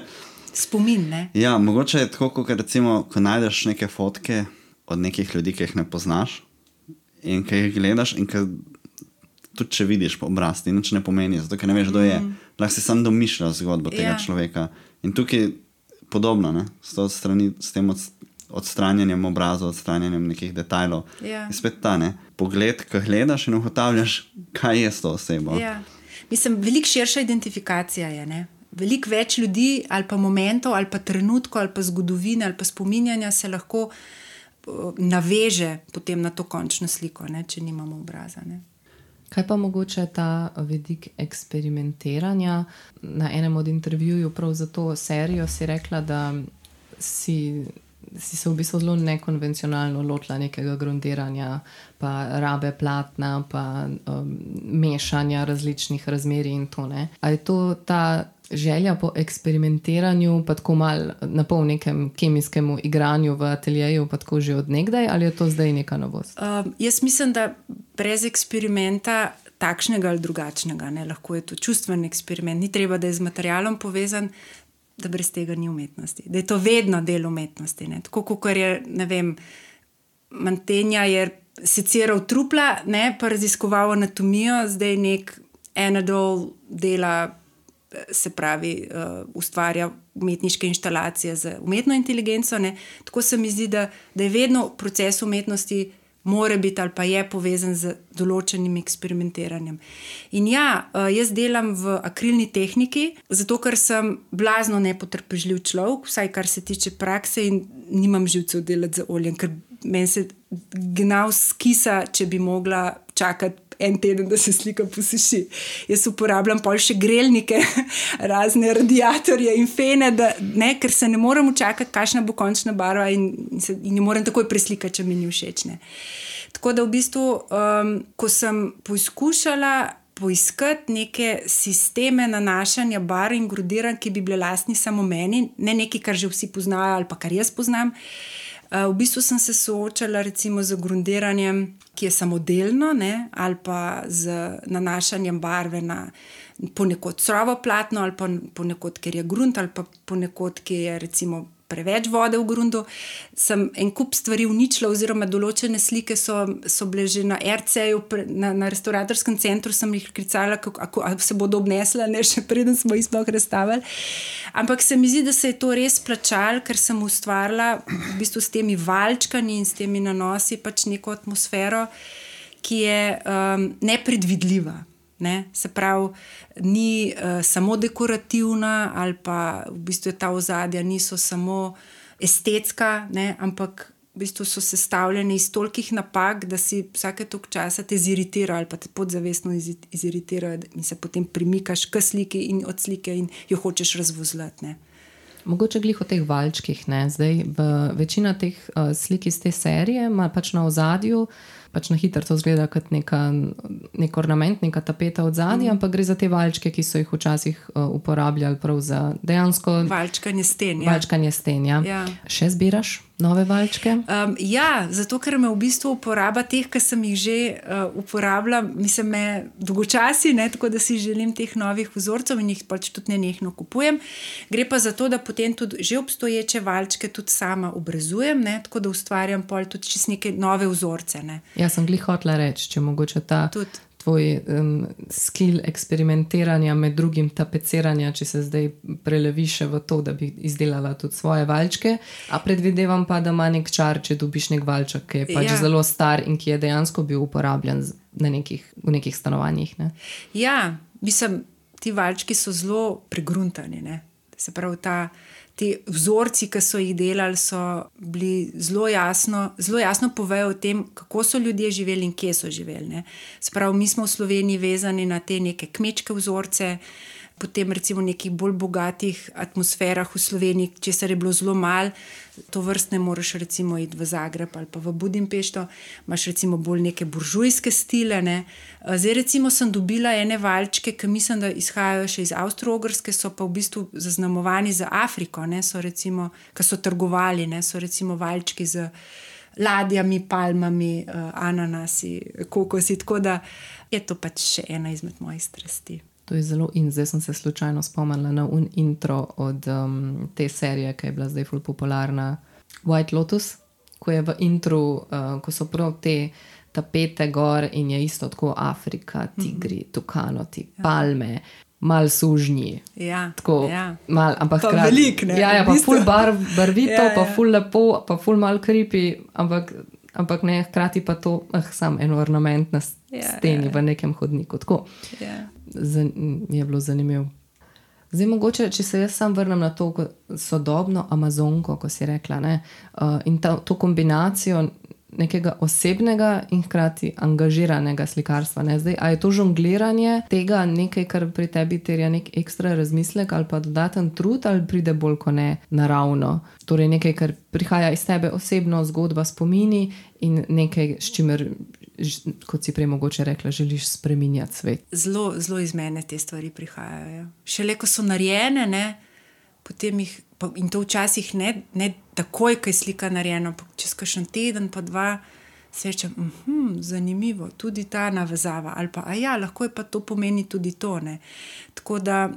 Spomin, ne? Ja, mogoče je tako, kot recimo, ko najdeš neke fotke od nekih ljudi, ki jih ne poznaš in ki jih gledaš in ki tudi če vidiš po obraz, ti nič ne pomeni, zato ker ne veš, kdo je. Lahko si sam domišljaš zgodbo tega človeka. In tukaj podobno, s tem odstranjanjem obrazov, odstranjanjem nekih detajlov. In spet ta, pogled, ko gledaš in ugotavljaš, kaj je s to osebo. Mislim, veliko širša identifikacija je, Veliko več ljudi ali pa momentov, ali pa trenutkov, ali pa zgodovine, ali pa spominjanja se lahko naveže potem na to končno sliko, če nimamo obraza. Kaj pa mogoče ta vidik eksperimentiranja? Na enem od intervjujev prav za to serijo si rekla, da si se v bistvu zelo nekonvencionalno lotila nekega grundiranja, pa rabe platna, pa mešanja različnih razmerij in to. A je to ta želja po eksperimentiranju, pa tako malo na pol nekem kemijskemu igranju v ateljeju, pa tako že od nekdaj, ali je to zdaj neka novost? Jaz mislim, da brez eksperimenta takšnega ali drugačnega, lahko je to čustven eksperiment, ni treba, da je z materialom povezan, da brez tega ni umetnosti. Da je to vedno del umetnosti. Tako, kot je, ne vem, Mantegna je seciral trupla, pa raziskoval anatomijo, zdaj nek Anadol dela, se pravi, ustvarja umetniške inštalacije z umetno inteligenco. Tako se mi zdi, da je vedno proces umetnosti mora biti ali pa je povezan z določenim eksperimentiranjem. In jaz delam v akrilni tehniki, zato ker sem blazno nepotrpežljiv človek, vsaj kar se tiče prakse, in nimam živcev delati z oljem, ker meni se gnav skisa, če bi mogla čakati en teden, da se slika posuši. Jaz uporabljam pol še grelnike, razne radiatorje in fene, ker se ne morem čakati, kakšna bo končna barva in ne morem takoj preslikati, če mi ni všeč. Tako da v bistvu, ko sem poizkušala poiskati neke sisteme nanašanja barv in grudiranj, ki bi bile lastni samo meni, ne nekaj, kar že vsi poznajo ali pa kar jaz poznam. V bistvu sem se soočala recimo z grundiranjem, ki je samodelno, ne, ali pa z nanašanjem barve na ponekod surovo platno ali pa ponekod, ker je grunt ali pa ponekod, ki je recimo preveč vode v grundu. Sem en kup stvari uničila oziroma določene slike so bile že na RC-ju, na restauratorskem centru sem jih klicala, kako se bodo obnesla, ne, še preden smo jih sploh razstavili. Ampak se mi zdi, da se je to res plačalo, ker sem ustvarila v bistvu s temi valčkami in s temi nanosi pač neko atmosfero, ki je nepredvidljiva. Ne? Se pravi, ni samo dekorativna ali pa v bistvu ta ozadja niso samo estetska, ne? Ampak v bistvu so sestavljene iz tolikih napak, da si vsake toliko časa te ziritira ali pa te podzavestno iziritira in se potem premikaš k sliki in od slike in jo hočeš razvozlati. Ne? Mogoče glih o teh valčkih, ne? Zdaj večina teh slik iz te serije ima pač na ozadju, pač na hitro to zgleda kot nek ornament, neka tapeta od zadnja, ampak gre za te valčke, ki so jih včasih uporabljali prav za dejansko valčkanje sten. Valčkanje sten, ja. Ja. Še zbiraš nove valčke? Ja, zato ker me v bistvu uporaba teh, ki sem jih že uporabila, mislim, me dolgočasi, ne, tako da si želim teh novih vzorcev in jih pač tudi nenehno kupujem. Gre pa za to, da potem tudi že obstoječe valčke tudi sama obrazujem, ne, tako da ustvarjam pol tudi čist neke nove vzorce, ne. Jaz sem glih hotela reči, če mogoče ta tvoj skill eksperimentiranja med drugim tapeciranja, če se zdaj prelevi še v to, da bi izdelala tudi svoje valčke, a predvidevam pa, da ima nek čar, če dobiš nek valček, ki je pač zelo star in ki je dejansko bil uporabljen v nekih stanovanjih. Ne? Ja, mislim, ti valčki so zelo pregruntani, ne? Se pravi, ti vzorci, ki so jih delali, so bili zelo jasno povejo o tem, kako so ljudje živeli in kje so živeli. Ne? Se pravi, mi smo v Sloveniji vezani na te neke kmečke vzorce, potem recimo v nekih bolj bogatih atmosferah v Sloveniji, česar je bilo zelo malo, to vrstne moraš recimo iti v Zagreb ali pa v Budimpešto, imaš recimo bolj neke buržujske stile. Ne? Zdaj recimo sem dobila ene valčke, ki mislim, da izhajajo še iz Avstro-Ogrske, so pa v bistvu zaznamovani za Afriko, ne? So recimo, ki so trgovali, ne? So recimo valčki z ladjami, palmami, ananasi, kokosi, tako da je to pač še ena izmed mojih strasti. To je zelo in zdaj sem se slučajno spomnila na intro od te serije, ki je bila zdaj ful popularna, White Lotus, ko je v intru, ko so prav te tapete gor in je isto tako Afrika, tigri, tukanoti, palme, mal sužnji. Ja, tako, mal, ampak pa velik, ne? Ja, pa ful barvito, pa ful lepo, pa ful mal creepy, ampak ne, hkrati pa to sam en ornament na steni v nekem hodniku. Tako. Je bilo zanimivo. Zdaj mogoče, če se jaz sam vrnem na to sodobno Amazonko, ko si rekla, ne, in to kombinacijo nekega osebnega in hkrati angažiranega slikarstva. Ne? Zdaj, a je to žongliranje tega nekaj, kar pri tebi terja nek ekstra razmislek ali pa dodaten trud, ali pride bolj kot ne naravno? Torej nekaj, kar prihaja iz tebe osebno, zgodba, spomini in nekaj, s čimer, kot si prej mogoče rekla, želiš spreminjati svet. Zelo, zelo iz mene te stvari prihajajo. Šele, ko so narejene, ne, potem jih, in to včasih ne takoj, ko je slika narejena, čez kakšen teden, pa dva, srečam, zanimivo, tudi ta navezava, ali pa, lahko je pa to pomeni tudi to, ne. Tako da,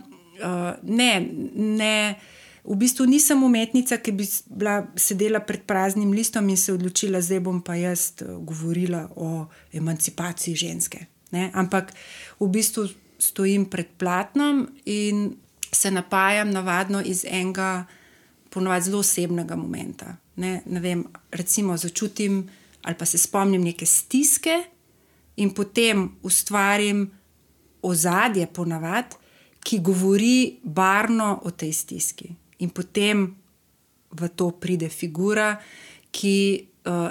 ne, v bistvu nisem umetnica, ki bi sedela pred praznim listom in se odločila, zdaj bom pa jaz govorila o emancipaciji ženske, ne, ampak v bistvu stojim pred platnom in se napajam navadno iz enega ponovadi zelo osebnega momenta. Ne vem, recimo začutim ali pa se spomnim neke stiske in potem ustvarim ozadje ponavadi, ki govori barvno o tej stiski. In potem v to pride figura, ki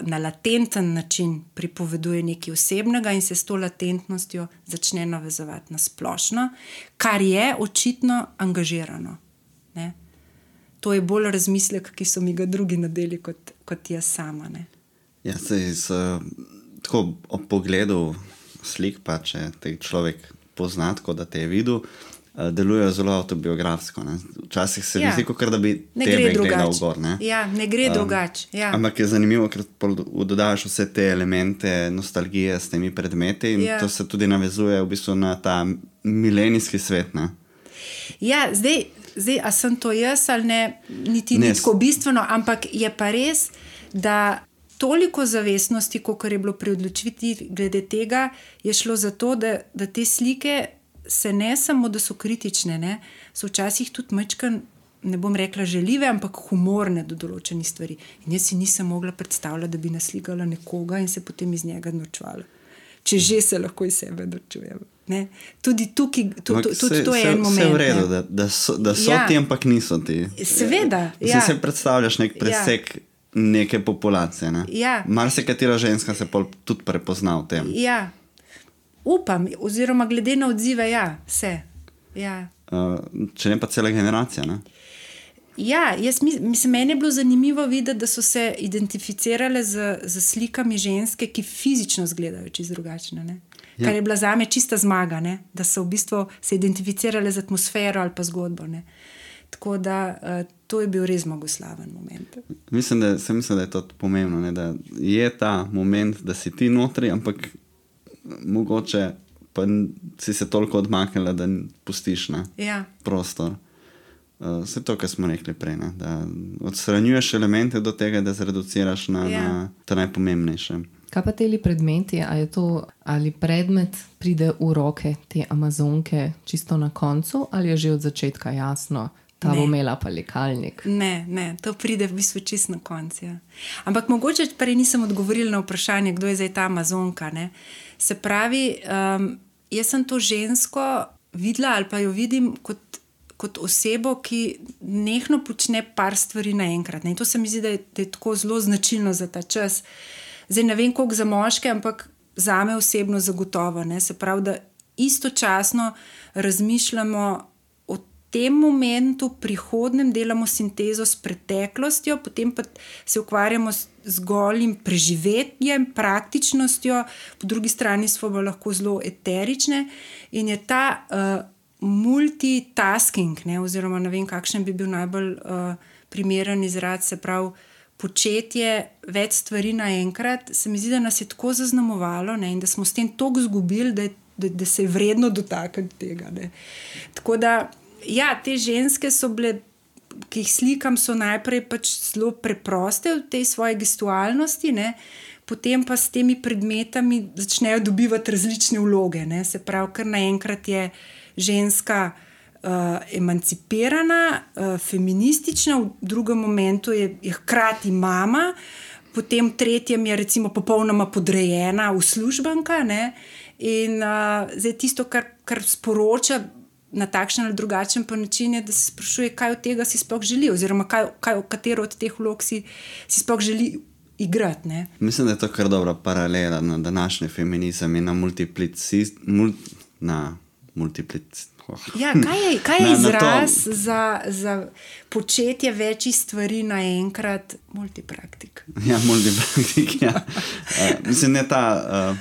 na latenten način pripoveduje nekaj osebnega in se s to latentnostjo začne navezovati na splošno, kar je očitno angažirano. Ne? To je bolj razmislek, ki so mi ga drugi nadeli kot jaz sama. Ne? Ja, tako ob pogledu slik pa, če te človek pozna, tako da te je videl, delujejo zelo autobiografsko. Ne. Včasih se mi zdi, kot da bi tebe gledal gor. Ne, ne gre drugače. Ja. Ampak je zanimivo, ker dodaš vse te elemente nostalgije s temi predmeti in to se tudi navezuje v bistvu na ta milenijski svet. Ne. Ja, zdaj, a sem to jaz ali ne, niti ni tako bistveno, ampak je pa res, da toliko zavestnosti, kot je bilo pri odločitvi glede tega, je šlo za to, da te slike se ne samo, da so kritične, ne, so včasih tudi majčkeno, ne bom rekla žaljive, ampak humorne do določenih stvari. In jaz si nisem mogla predstavljati, da bi naslikala nekoga in se potem iz njega norčevala. Če že se lahko iz sebe norčujem. Ne? Tudi tukaj, tudi to je en moment. Vse v redu, da so ti, ampak niso ti. Seveda, Se predstavljaš nek presek neke populacije. Ne? Marsikatera ženska se tudi prepozna v tem. Ja. Upam, oziroma glede na odzive, vse. Ja. Če ne pa cela generacija, ne? Ja, meni je bilo zanimivo videti, da so se identificirale z slikami ženske, ki fizično izgledajo čisto drugačne, ne? Kar je bila zame čista zmaga, ne? Da so v bistvu se identificirale z atmosfero ali pa zgodbo. Ne? Tako da to je bil res zmagoslaven moment. Mislim, da je to pomembno, ne? Da je ta moment, da si ti notri, ampak mogoče pa si se toliko odmaknila, da pustiš prostor. Vse to, kar smo rekli prej, ne? Da odstranjuješ elemente do tega, da zreduciraš na to najpomembnejše. Kaj pa teli predmeti, ali predmet pride v roke te Amazonke čisto na koncu, ali je že od začetka jasno, ta bo imela pa likalnik? Ne, to pride v bistvu čisto na koncu. Ja. Ampak mogoče prej nisem odgovorila na vprašanje, kdo je zdaj ta Amazonka. Ne? Se pravi, jaz sem to žensko videla ali pa jo vidim kot osebo, ki nehno počne par stvari naenkrat. Ne? In to se mi zdi, da je tako zelo značilno za ta čas. Zdaj ne vem, koliko za moške, ampak zame osebno zagotovo. Ne? Se pravi, da istočasno razmišljamo o tem momentu, prihodnem, delamo sintezo s preteklostjo, potem pa se ukvarjamo z golim preživetjem, praktičnostjo, po drugi strani smo lahko zelo eterične in je ta multitasking, ne? Oziroma ne vem, kakšen bi bil najbolj primeren izraz, se pravi, početje več stvari naenkrat, se mi zdi, da nas je tako zaznamovalo, ne? In da smo s tem toliko izgubili, da se je vredno dotakniti tega. Ne? Tako da, te ženske so bile, ki jih slikam, so najprej pač zelo preproste v tej svoji gestualnosti, ne? Potem pa s temi predmetami začnejo dobivati različne vloge. Ne? Se pravi, kar naenkrat je ženska emancipirana, feministična, v drugem momentu je hkrati mama, potem v tretjem je recimo popolnoma podrejena uslužbenka, ne? In zdaj tisto, kar sporoča na takšen ali drugačen pa način, je, da se sprašuje, kaj od tega si sploh želi, oziroma katero od teh vlog si sploh želi igrati. Ne? Mislim, da je to kar dobra paralela na današnji feminizem in na kaj je izraz za početje večjih stvari naenkrat? Multipraktik. Multipraktik, mislim, ne ta,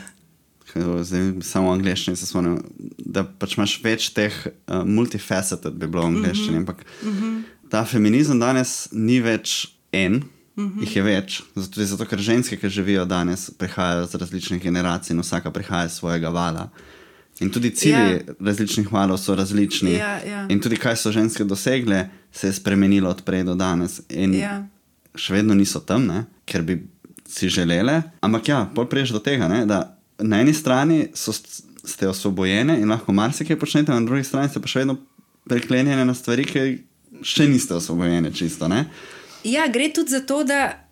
zdaj samo v angleščini se spomnim, da pač imaš več teh multifaceted, bi bilo v angleščini, ampak ta feminizem danes ni več jih je več, zato ker ženske, ki živijo danes, prihajajo z različnih generacij in vsaka prihaja iz svojega vala. In tudi cilji različnih valov so različni. In tudi kaj so ženske dosegle, se je spremenilo od prej do danes. In še vedno niso tam, ne? Ker bi si želele. Ampak pol priješ do tega, ne? Da na eni strani ste osvobojene in lahko marsikaj počnete, na drugi strani ste pa še vedno priklenjene na stvari, ki še niste osvobojene čisto, ne? Gre tudi za to, da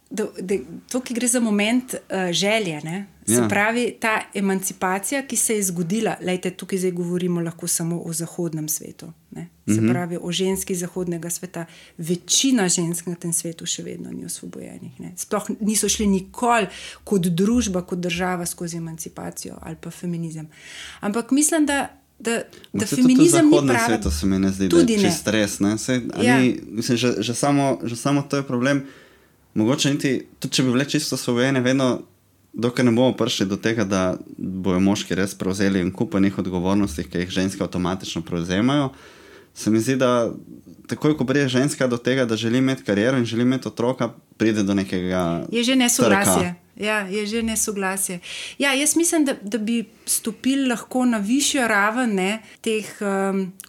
tukaj gre za moment želje, ne? Se pravi, ta emancipacija, ki se je zgodila, lejte, tukaj zdaj govorimo lahko samo o zahodnem svetu, ne? Se pravi, o ženski zahodnega sveta. Večina žensk na tem svetu še vedno ni osvobojenih, ne? Sploh niso šli nikoli kot družba, kot država skozi emancipacijo ali pa feminizem. Ampak mislim, da feminizem ni pravi. Zahodnem svetu se mi ne zdi, da je čist res, ne? Mislim, že samo to je problem. Mogoče niti, tudi če bi bile čisto osvobojene, vedno dokler ne bomo prišli do tega, da bojo moški res prevzeli en kup enih odgovornosti, ki jih ženske avtomatično prevzemajo, se mi zdi, da takoj, ko pride ženska do tega, da želi imeti kariero in želi imeti otroka, pride do nekega je že nesoglasje. trka. Ja, je že nesoglasje. Ja, jaz mislim, da bi stopili lahko na višjo raven, ne, teh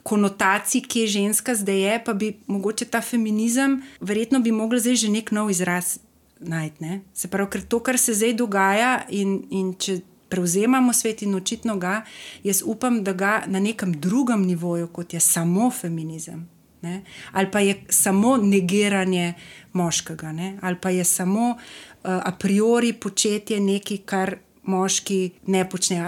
konotacij, ki je ženska zdaj je, pa bi mogoče ta feminizem, verjetno bi mogli zdaj že nek nov izraz najti. Ne. Se pravi, ker to, kar se zdaj dogaja in če prevzemamo svet in očitno ga, jaz upam, da ga na nekem drugem nivoju, kot je samo feminizem, ne, ali pa je samo negiranje moškega, ne, ali pa je samo a priori početje nekaj, kar moški ne počnejo,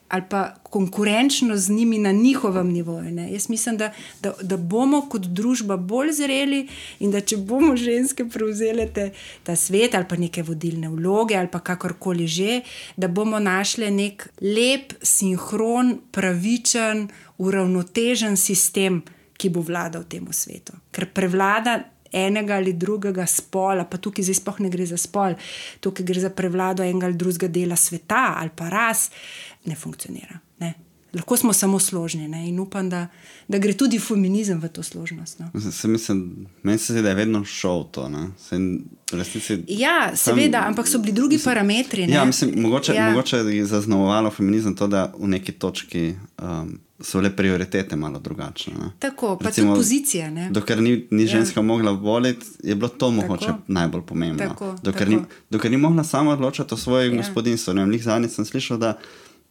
ali pa konkurenčno z njimi na njihovem nivoju. Ne. Jaz mislim, da bomo kot družba bolj zreli in da če bomo ženske prevzele ta svet ali pa neke vodilne vloge ali pa kakorkoli že, da bomo našli nek lep, sinhron, pravičen, uravnotežen sistem, ki bo vladal temu svetu. Ker prevlada enega ali drugega spola, pa tukaj zdaj sploh ne gre za spol, tukaj gre za prevlado enega ali drugega dela sveta ali pa ras, ne funkcionira. Ne. Lahko smo samo složni, ne. In upam, da gre tudi feminizem v to složnost. No. Meni se zdi, da je vedno šel to. Ja, seveda, ampak so bili drugi parametri. Ne. Ja, mogoče je zaznamovalo feminizem to, da v neki točki so le prioritete malo drugačne. Ne. Tako, pa tudi pozicija. Ne. Dokler ni ženska mogla voliti, je bilo to mogoče najbolj pomembno. Dokler ni mogla sama odločati o svojem gospodinstvu. Zadnjič sem slišal, da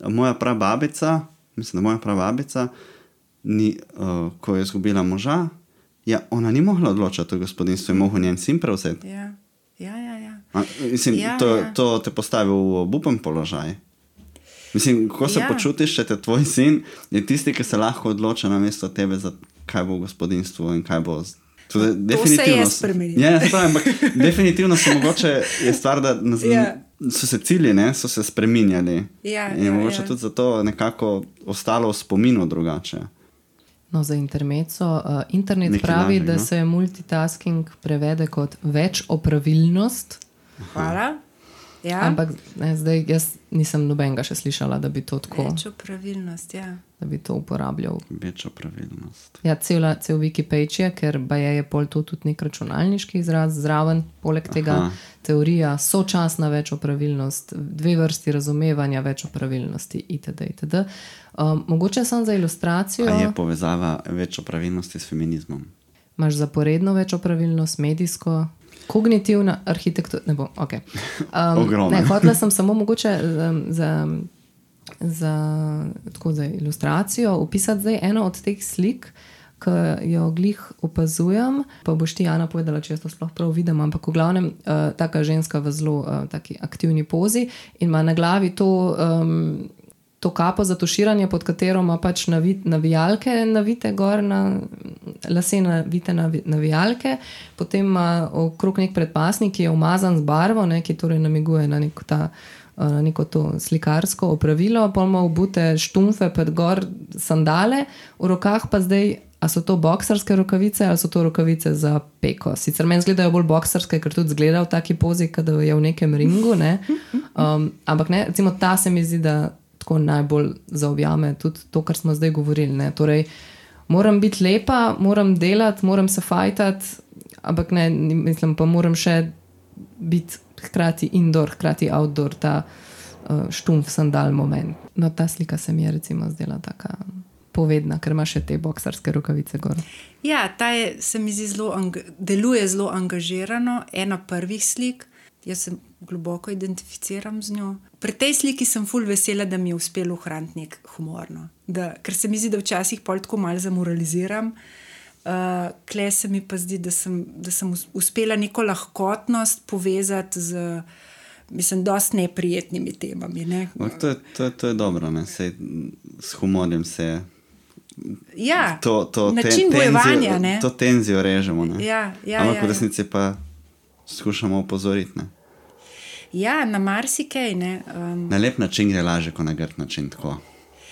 moja prababica, ko je izgubila moža, ona ni mogla odločati o gospodinstvu in mogel njen sin prevzeti. Ja. To te postavi v obupen položaj. Kako se počutiš, če te tvoj sin je tisti, ki se lahko odloča namesto tebe, za kaj bo v gospodinstvu in kaj bo... To se je spremenilo. Ja, ampak definitivno se mogoče je stvar, da so se cilji, so se spreminjali. In je mogoče tudi zato nekako ostalo v spominu drugače. No, za intermezzo. Internet pravi, da se multitasking prevede kot več opravilnost. Hvala. Ja. Ampak zdaj jaz nisem nobenega še slišala, da bi to tako... Več opravilnost, ja. Da bi to uporabljal. Več opravilnost. Ja, cel Wikipage je, ker je pol to tudi nek računalniški izraz zraven, poleg tega teorija, sočasna več opravilnost, 2 vrsti razumevanja več opravilnosti, itd. Mogoče sem za ilustracijo... A je povezava več opravilnosti s feminizmom? Imaš zaporedno več opravilnost, medijsko... Kognitivna arhitektura, ne bom, ok. Hotela sem samo mogoče za ilustracijo opisati zdaj eno od teh slik, ki jo glih opazujem, pa boš ti, Ana, povedala, če jaz to sploh prav vidim, ampak v glavnem taka ženska v zelo taki aktivni pozi in ima na glavi to kapo za tuširanje, pod katero ima pač navijalke navite gor, lase navite navijalke, potem ima okrog nek predpasnik, ki je umazan z barvo, ki torej namiguje na neko to slikarsko opravilo, pol ima obute štumfe pod gor sandale, v rokah pa zdaj, a so to boksarske rokavice ali so to rokavice za peko. Sicer meni zgledajo bolj boksarske, ker tudi zgleda v taki pozi, kada je v nekem ringu, ne. Ampak ne, recimo ta se mi zdi, da tako najbolj zaobjame tudi to, kar smo zdaj govorili. Ne? Torej, moram biti lepa, moram delati, moram se fajtati, ampak ne, mislim, pa moram še biti hkrati indoor, hkrati outdoor, ta štumf sandal moment. No, ta slika se mi je recimo zdela taka povedna, ker ima še te boksarske rokavice gor. Ja, se mi zdi deluje zelo angažirano, ena prvih slik. Jaz se globoko identificiram z njo. Pri tej sliki sem ful vesela, da mi je uspelo ohraniti nek humor. No. Ker se mi zdi, da včasih pol tako malo zamoraliziram. Kle se mi pa zdi, da sem uspela neko lahkotnost povezati z, mislim, dosti neprijetnimi temami. Ne. To je dobro, ne. Sej, s humorjem se ja, način bojevanja. To tenzijo režemo. Ne. Ampak v resnici pa skušamo opozoriti. Ne? Ja, na marsikaj. Na lep način gre lažje, kot na grd način. Tako.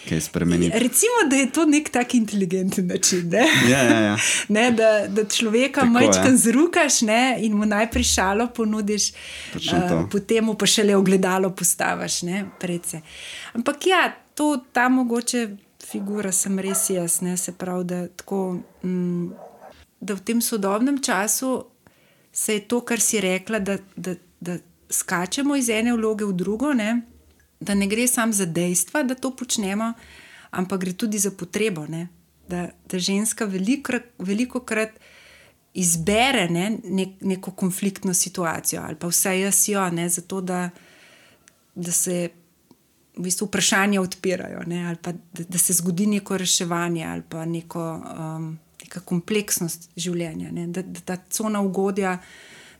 kaj spremeniti. Recimo, da je to nek tak inteligenten način, ne? Ja. Ne, da človeka majčkam zrukaš, ne, in mu najprej šalo ponudiš, potem mu pa šele ogledalo postaviš, ne, predse. Ampak ja, ta mogoče figura sem res jaz, ne, se pravi, da tako, da v tem sodobnem času se je to, kar si rekla, da skačemo iz ene vloge v drugo, ne, da ne gre samo za dejstva, da to počnemo, ampak gre tudi za potrebo, ne, da ženska velikokrat izbere, ne, neko konfliktno situacijo, ali pa vsaj jaz jo, ne, zato da se v bistvu vprašanja odpirajo, ne, ali pa da se zgodi neko reševanje ali pa neka kompleksnost življenja, ne, da ta cona ugodja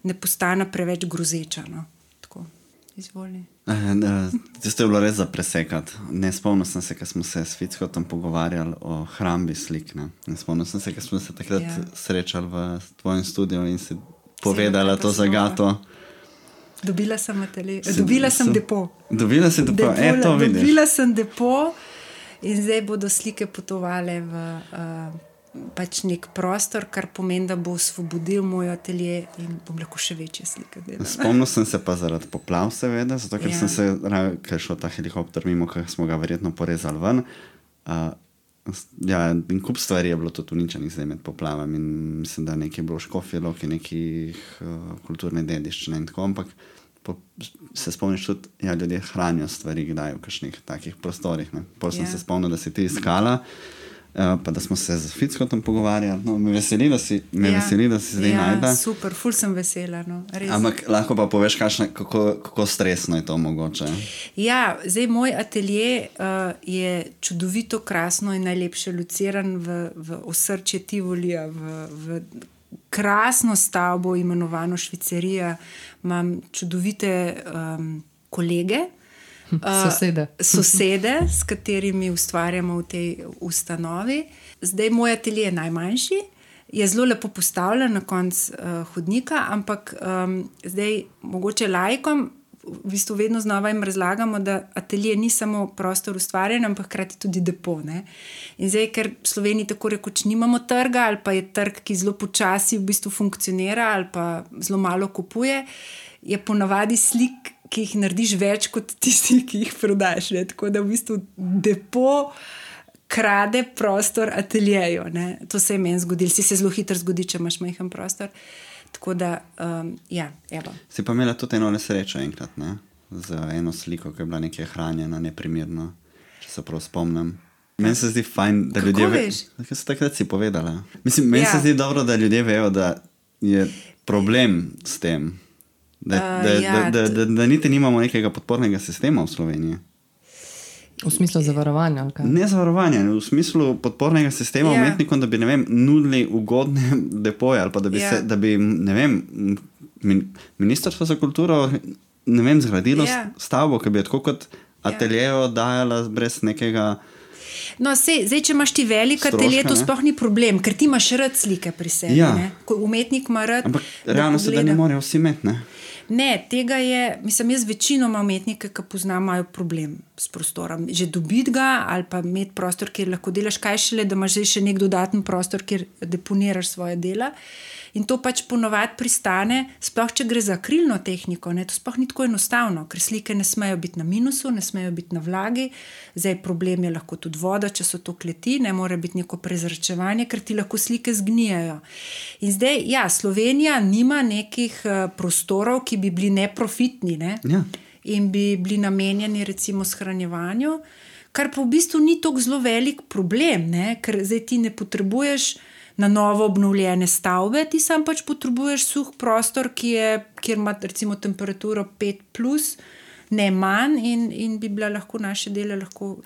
ne postane preveč grozeča. No. Tako, izvoli. Tisto je bilo res za presekati. Ne spomnim se, ko smo se s Fickotom pogovarjali o hrambi slik. Ne spomnim se, ko smo se takrat srečali v tvojem studiu in si povedala to zagato. Dobila sem depo. Dobila si depo, to vidiš. Dobila sem depo in zdaj bodo slike potovale v pač nek prostor, kar pomeni, da bo osvobodil moj atelje in bom lahko še večje slike delala. Spomnil sem se pa zaradi poplav, seveda, zato ker sem se, ker šel ta helikopter mimo, ker smo ga verjetno porezali ven. In kup stvari je bilo tudi uničenih zdaj med poplavami in mislim, da nekaj je bilo v Škofji Loki, nekih kulturne dediščine in tako, ampak se spomniš tudi, ljudje hranijo stvari kdaj v kakšnih takih prostorih. Pol sem se spomnil, da si ti iskala, pa da smo se z Fickotom pogovarjali. No, me veseli, da si zdaj najda. Super, ful sem vesela. No, ampak lahko pa poveš, kako stresno je to mogoče? Ja, zdaj moj atelje je čudovito, krasno in najlepše lociran v osrčje Tivolija, v krasno stavbo imenovano Švicerija. Imam čudovite kolege, sosede, s katerimi ustvarjamo v tej ustanovi. Zdaj moj atelje je najmanjši, je zelo lepo postavljen na konc hodnika, ampak zdaj mogoče laikom v bistvu vedno znova jim razlagamo, da atelje ni samo prostor ustvarjanja, ampak hkrati tudi depo. Ne? In zdaj, ker v Sloveniji tako rekoč nimamo trga, ali pa je trg, ki zelo počasi v bistvu funkcionira, ali pa zelo malo kupuje, je ponavadi slik, ki jih narediš več kot tisti, ki jih prodaš. Ne? Tako da v bistvu depo krade prostor ateljeju. Ne? To se je meni zgodilo. Si se zelo hitro zgodi, če imaš majhen prostor. Tako da, evo. Si pa imela tudi eno nesrečo enkrat, ne? Z eno sliko, ki je bila nekaj hranjena, neprimerno, če se prav spomnim. Meni se zdi fajn, da ljudje... Kako veš? Kaj se takrat si povedala? Mislim, meni se zdi dobro, da ljudje vejo, da je problem s tem. Da niti nimamo nekega podpornega sistema v Sloveniji. V smislu zavarovanja? Ali kaj? Ne zavarovanja, v smislu podpornega sistema umetnikom, da bi, ne vem, nudili ugodne depoje ali pa da bi, ne vem, Ministrstvo za kulturo, ne vem, zgradilo stavbo, ki bi je tako kot ateljejo dajala brez nekega... No, zdaj, če imaš ti velik atelje, to sploh ni problem, ker ti imaš rad slike pri sebi. Ne? Ko umetnik ima rad... Ampak realno se, da ne morejo vsi imeti, ne? Ne, tega je, mislim, jaz večinoma umetnike, ki poznam, imajo problem s prostorom. Že dobiti ga ali pa imeti prostor, kjer lahko delaš, kaj šele, da imaš zdaj še nek dodaten prostor, kjer deponiraš svoje dela. In to pač ponovadi pristane, sploh če gre za akrilno tehniko, ne, to sploh ni tako enostavno, ker slike ne smejo biti na minusu, ne smejo biti na vlagi, zdaj problem je lahko tudi voda, če so to kleti, ne more biti neko prezračevanje, ker ti lahko slike zgnijajo. In zdaj, Slovenija nima nekih prostorov, ki bi bili neprofitni, ne? In bi bili namenjeni recimo shranjevanju, kar pa v bistvu ni tako zelo velik problem, ne? Ker zdaj ti ne potrebuješ na novo obnovljene stavbe, ti sam pač potrebuješ suh prostor, kjer ima recimo temperaturo 5+, ne manj in bi bila lahko naše dele lahko...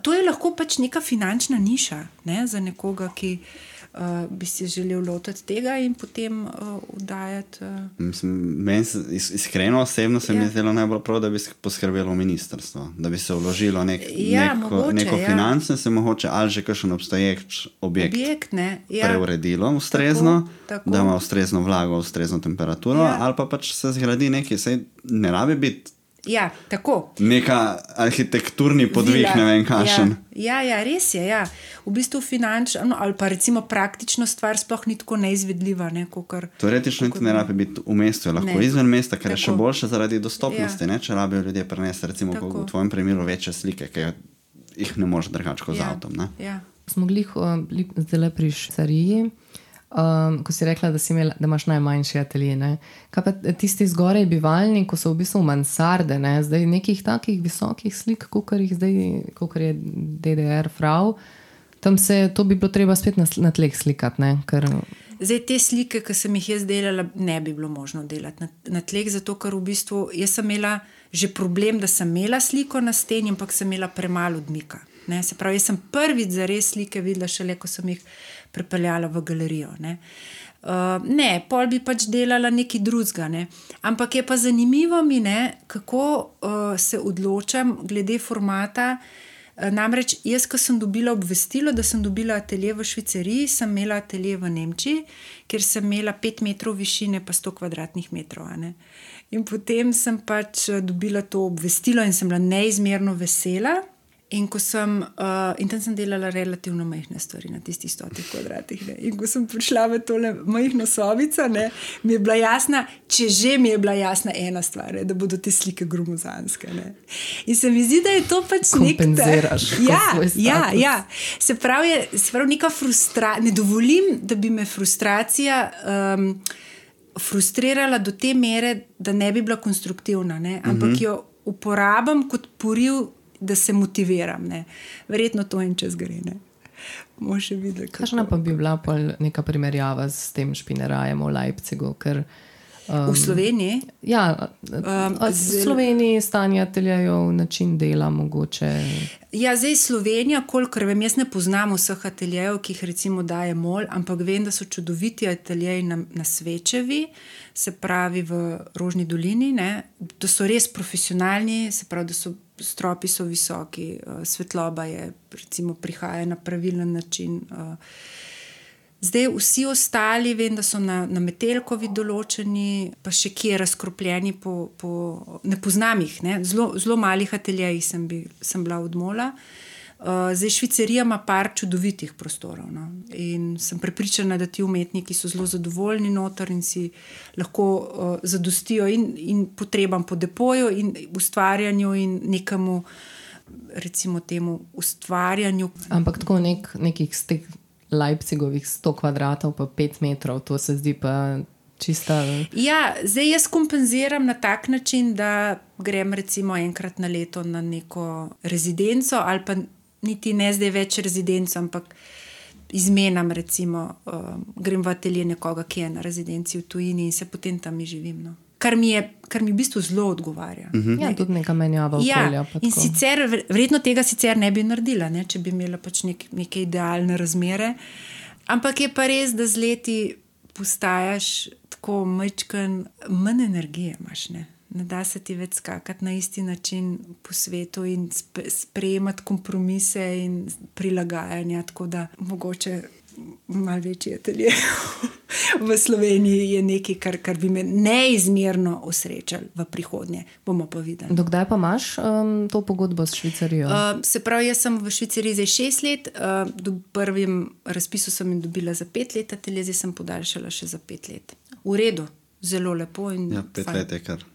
to je lahko pač neka finančna niša, ne, za nekoga, ki bi si želel lotiti tega in potem oddajati... Iskreno, osebno se mi je zdelo najbolj prav, da bi poskrbelo ministrstvo, da bi se vložilo neko finančno, se mogoče ali že kakšen objekt preuredilo ustrezno, tako. Da ima ustrezno vlago, ustrezno temperaturo, ali pa pač se zgradi nekaj, saj ne rabi biti Ja, tako. Neka arhitekturni podvig, Vila. ne vem, kakšen. Ja, res je. Ja. V bistvu finančno ali pa recimo praktično stvar sploh ni tako neizvedljiva. Ne, teoretično niti ne rabi biti v mestu, lahko izven mesta, ker je še boljše zaradi dostopnosti, ne, če rabijo ljudje prenesti, recimo v tvojem primeru večje slike, ki jih ne moreš drugače kot z avtom. Ne. Ja. Smo bili zdaj pri švicariji. Ko si rekla, da imaš najmanjši atelje. Kaj pa tisti zgoraj bivalni, ko so v bistvu mansarde, ne? Zdaj nekih takih visokih slik, kakor je DDR frau, tam to bi bilo treba spet na tleh slikati. Ne? Zdaj te slike, ki sem jih jaz delala, ne bi bilo možno delati na tleh, zato ker v bistvu jaz sem imela že problem, da sem imela sliko na steni, ampak sem imela premalo odmika. Ne? Se pravi, jaz sem prvič za res slike videla šele, ko sem jih prepeljala v galerijo. Ne, pol bi pač delala nekaj drugega. Ne? Ampak je pa zanimivo mi, kako se odločam glede formata. Namreč jaz, ko sem dobila obvestilo, da sem dobila atelje v Švicariji, sem imela atelje v Nemčiji, kjer sem imela 5 metrov višine pa 100 kvadratnih metrov. In potem sem pač dobila to obvestilo in sem bila neizmerno vesela. In tam sem delala relativno majhne stvari na tistih 100 kvadratih. In ko sem prišla v tole majhno sobico, mi je bila jasna, če že mi je bila jasna ena stvar, da bodo te slike gromozanske. In se mi zdi, da je to pač kompenziraš. Ja. Se pravi, neka frustracija. Ne dovolim, da bi me frustracija frustrirala do te mere, da ne bi bila konstruktivna, ampak jo uporabam kot poriv, da se motiviram. Verjetno to en čas gre. Kakšna pa bi bila neka primerjava s tem špinerajem v Leipzigu? V Sloveniji? Ja, v Sloveniji stanje ateljejev, način dela mogoče. Ja, zdaj Slovenija, kolikor vem, jaz ne poznam vseh ateljejev, ki jih recimo daje MOL, ampak vem, da so čudoviti ateljeji na Svečevi, se pravi v Rožni dolini, da so res profesionalni, se pravi, da so stropi so visoki, svetloba je, recimo, prihaja na pravilen način. Zdaj vsi ostali, vem, da so na Metelkovi določeni, pa še kje razkropljeni ne poznam jih, zelo malih ateljejih sem bila od MOL-a. Zdaj Švicarija ima par čudovitih prostorov, in sem prepričana, da ti umetniki so zelo zadovoljni noter in si lahko zadostijo in potrebam po depoju in ustvarjanju in nekemu, recimo temu ustvarjanju. Ampak tako nekih z teh Leipzigovih 100 kvadratov pa 5 metrov, to se zdi pa čista. Ja, zdaj jaz kompenziram na tak način, da grem recimo enkrat na leto na neko rezidenco ali pa niti ne zdaj več rezidenco, ampak izmenam recimo, grem v atelje nekoga, ki je na rezidenci v tujini in se potem tam živim. Kar mi v bistvu zelo odgovarja. Ja, tudi neka menjava okolja. Ja, in sicer, verjetno tega sicer ne bi naredila, če bi imela pač neke idealne razmere, ampak je pa res, da z leti postajaš tako majčken, manj energije imaš, ne da se ti več skakati na isti način po svetu in sprejemati kompromise in prilagajanja, tako da mogoče malo večji atelje v Sloveniji je nekaj, kar bi me neizmerno osrečalo v prihodnje. Bomo pa videli. Dokdaj pa imaš to pogodbo s Švicarijo? Se pravi, jaz sem v Švicariji zdaj 6 let, do prvim razpisu sem jim dobila za 5 let, atelje zdaj sem podaljšala še za 5 let. V redu, zelo lepo. Ja, 5 let je kar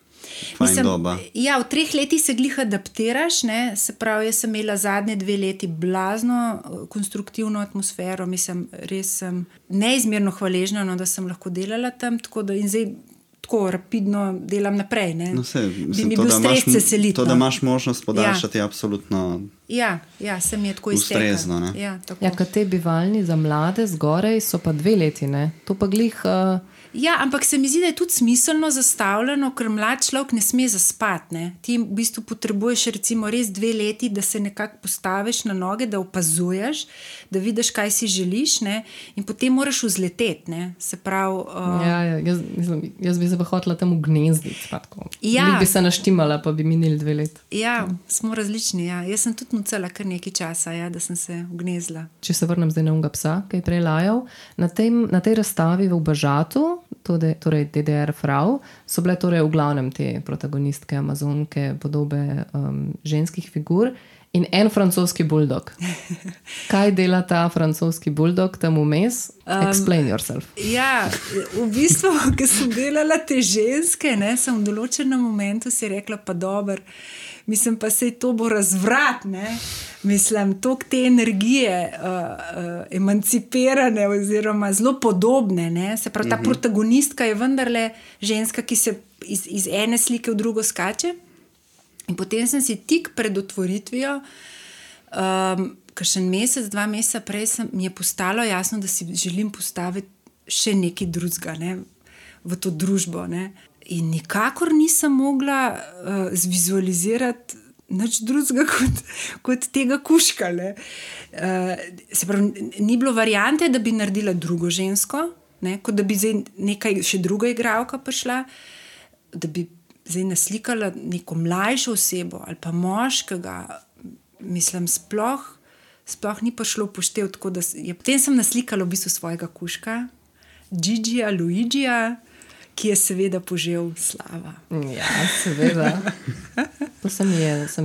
fajn doba. Ja, v 3 letih se glih adaptiraš, se pravi, jaz sem imela zadnje 2 leti blazno konstruktivno atmosfero, mislim, res sem neizmerno hvaležna, da sem lahko delala tam, tako da in zdaj tako rapidno delam naprej. No, bi mi bil stres se seliti. To, da imaš možnost podaljšati, je absolutno ja, se mi je tako ustrezno. Ja, kad te bivalni za mlade zgorej so pa 2 leti, to pa glih. Ja, ampak se mi zdi, da je tudi smiselno zastavljeno, ker mlad človek ne sme zaspati. Ti v bistvu potrebuješ recimo res 2 leti, da se nekako postaviš na noge, da opazuješ, da vidiš, kaj si želiš, in potem moraš vzleteti. Se pravi... Jaz bi se pa hotela temu gnezditi. Ja. Bi se naštimala, pa bi minili 2 leti. Ja, smo različni. Ja. Jaz sem tudi nucala kar nekaj časa, da sem se vgnezla. Če se vrnem zdaj na unga psa, ki je prej lajal, na tej razstavi v Bažatu torej DDR Frau, so bile torej v glavnem te protagonistke, amazonke, podobe ženskih figur in en francoski buldog. Kaj dela ta francoski buldog tam vmes? Explain yourself. Ja, v bistvu, ko sem delala te ženske, ne, sem v določenem momentu si rekla, pa dober, mislim pa sej to bo razvrat, ne. Mislim, toliko te energije emancipirane oziroma zelo podobne, ne. Se pravi, ta protagonistka je vendarle ženska, ki se iz ene slike v drugo skače. In potem sem si tik pred otvoritvijo, kakšen mesec, 2 meseca prej mi je postalo jasno, da si želim postaviti še nekaj drugega, ne, v to družbo. Ne. In nikakor nisem mogla zvizualizirati nič drugega kot tega kužka. Se pravi, ni bilo variante, da bi naredila drugo žensko, ne, kot da bi zdaj nekaj še druga igralka prišla, da bi zdaj naslikala neko mlajšo osebo ali pa moškega, mislim, sploh ni prišlo upoštev, tako da potem sem naslikala v bistvu svojega kužka, Gigija, Luigija, ki je seveda požel slava. Ja, seveda. To sem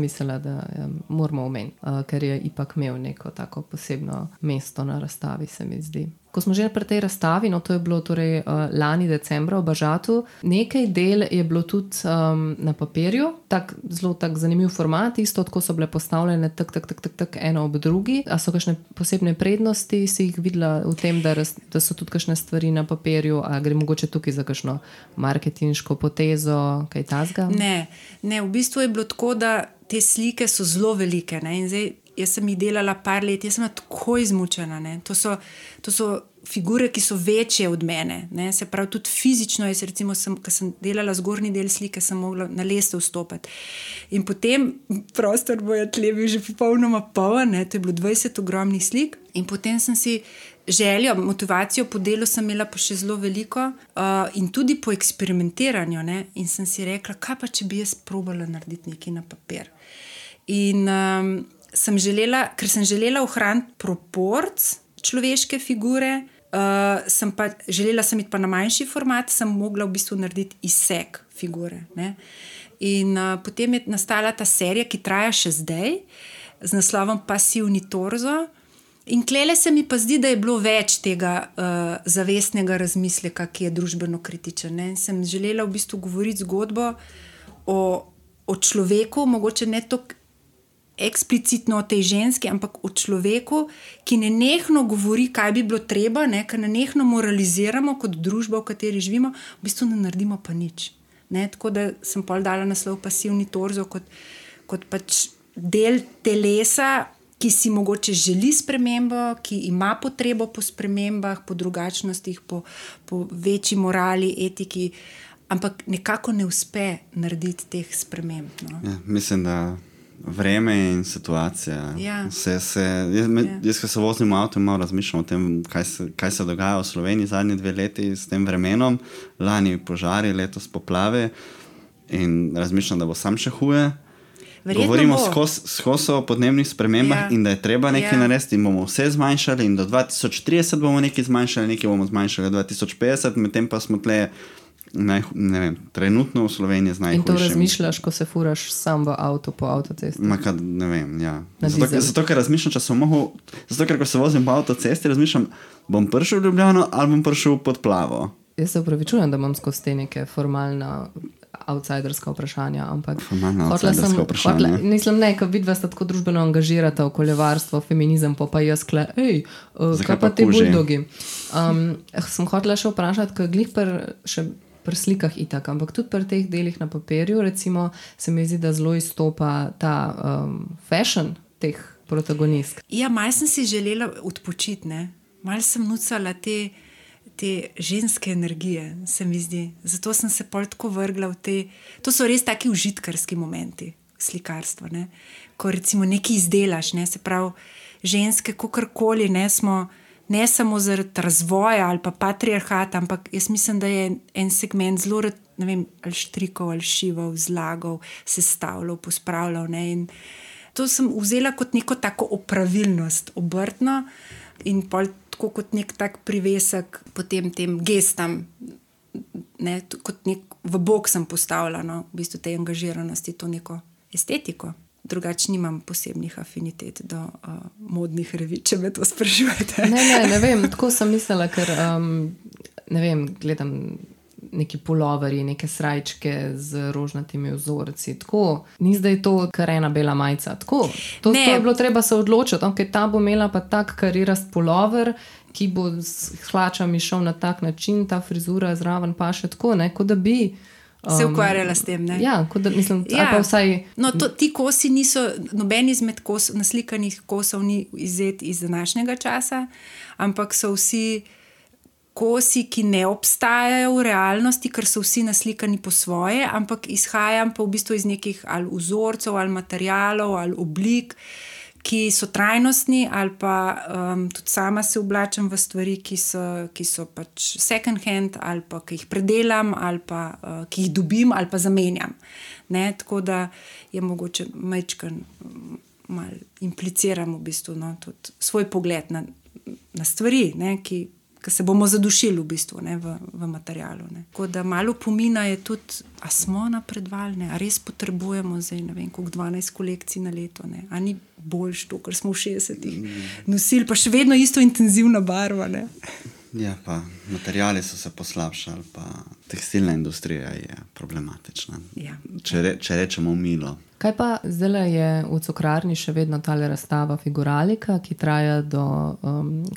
mislila, da moramo omeniti, ker je ipak imel neko tako posebno mesto na razstavi, se mi zdi. Ko smo že pri tej razstavi, no to je bilo torej lani decembra v Bažatu, nekaj del je bilo tudi na papirju, zelo tak zanimiv format, isto tako so bile postavljene tak eno ob drugi. A so kakšne posebne prednosti, si jih videla v tem, da so tudi kakšne stvari na papirju, a gre mogoče tukaj za kakšno marketinško potezo, kaj tasga? Ne, v bistvu je bilo tako, da te slike so zelo velike, ne, in zdaj jaz sem jih delala par let, jaz sem tako izmučena. Ne. To so figure, ki so večje od mene. Ne. Se pravi, tudi fizično, jaz recimo, ko sem delala zgornji del slike, sem mogla na lestev vstopati. In potem prostor bojo tle bil že popolnoma poln, to je bilo 20 ogromnih slik. In potem sem si željo, motivacijo po delu sem imela pa še zelo veliko in tudi po eksperimentiranju. Ne. In sem si rekla, kaj pa, če bi jaz probala narediti nekaj na papir. In ker sem želela ohraniti proporc človeške figure, sem iti pa na manjši format, sem mogla v bistvu narediti izsek figure. Ne? In potem je nastala ta serija, ki traja še zdaj, z naslovom Pasivni torzo. In klele se mi pa zdi, da je bilo več tega zavestnega razmisleka, ki je družbeno kritičen. Ne? Sem želela v bistvu govoriti zgodbo o človeku, mogoče ne toliko eksplicitno o tej ženski, ampak o človeku, ki nenehno govori, kaj bi bilo treba, ne, ker nenehno moraliziramo kot družba, v kateri živimo, v bistvu ne naredimo pa nič. Ne, tako da sem pol dala naslov Pasivni torzo kot pač del telesa, ki si mogoče želi spremembo, ki ima potrebo po spremembah, po drugačnostih, po večji morali, etiki, ampak nekako ne uspe narediti teh sprememb. No. Ja, mislim, da vreme in situacija. Ja. Jaz, ko se vozim v avtu, malo razmišljam o tem, kaj se dogaja v Sloveniji zadnji 2 leti s tem vremenom. Lani požari, letos poplave in razmišljam, da bo sam še huje. Govorimo skozi o podnebnih spremembah in da je treba nekaj narediti in bomo vse zmanjšali in do 2030 bomo nekaj zmanjšali, nekaj bomo zmanjšali 2050, medtem pa smo tle trenutno v Sloveniji z najhujšim. In to razmišljaš, ko se furaš sam v avto po avtocesti? Ne vem, ja. Zato, ker razmišljam, ko se vozim po avtocesti, razmišljam, bom prišel v Ljubljano ali bom prišel pod plavo. Jaz se opravičujem, da imam skozi te neke formalna outsiderska vprašanja, ampak mislim, ne, ko vidva sta tako družbeno angažirata, okoljevarstvo, feminizem, pa jaz kaj pa te buldogi. Sem hotela še vprašati, ko je glih pri slikah itak, ampak tudi pri teh delih na papirju, recimo, se mi zdi, da zelo izstopa ta fashion teh protagonistk. Ja, malo sem si želela odpočiti, ne. Malo sem nucala te ženske energije, se mi zdi. Zato sem se pol tako vrgla v te... To so res taki užitkarski momenti slikarstva, ne. Ko recimo nekaj izdelaš, ne, se pravi, ženske kakorkoli, ne, smo ne samo zaradi razvoja ali pa patriarhata, ampak jaz mislim, da je en segment zelo rad, ne vem, ali štrikov, ali šival, zlagal, sestavljal, pospravljal, ne, in to sem vzela kot neko tako opravilnost, obrtno in pol tako kot nek tak privesek potem tem gestam ne, kot v bok sem postavila, no, v bistvu te angažiranosti, to neko estetiko. Drugače nimam posebnih afinitet do modnih revij, če me to sprašujete. Ne vem, tako sem mislila, ker ne vem, gledam neki puloverji, neke srajčke z rožnatimi vzorci, tako, ni zdaj to kar ena bela majica, tako, to je bilo treba se odločiti, okay, ta bo imela pa tak karirast pulover, ki bo s hlačami šel na tak način, ta frizura zraven pa še tako, ne, kot da bi se ukvarjala s tem, ne? Ja, kot da mislim, ali pa vsaj... No, ti kosi niso, noben izmed naslikanih kosov ni izet iz današnjega časa, ampak so vsi kosi, ki ne obstajajo v realnosti, ker so vsi naslikani po svoje, ampak izhajam pa v bistvu iz nekih ali vzorcev, ali materialov, ali oblik, ki so trajnostni, ali pa tudi sama se oblačam v stvari, ki so pač second hand, ali pa ki jih predelam, ali pa ki jih dobim, ali pa zamenjam. Ne? Tako da je mogoče majčkan malo impliciram v bistvu, no, tudi svoj pogled na stvari, ne, ki se bomo zadušili v bistvu, ne, v materialu. Ne. Tako da malo pomina je tudi, a smo napredovali, a res potrebujemo zdaj, ne vem, koliko 12 kolekcij na leto, ne. A ni boljš to, kar smo v 60-ih nosili, pa še vedno isto intenzivna barva. Ne. Ja, pa materiali so se poslabšali, pa tekstilna industrija je problematična, ja. Če rečemo milo. Kaj pa zdaj je v Cukrarni še vedno tale razstava Figuralika, ki traja do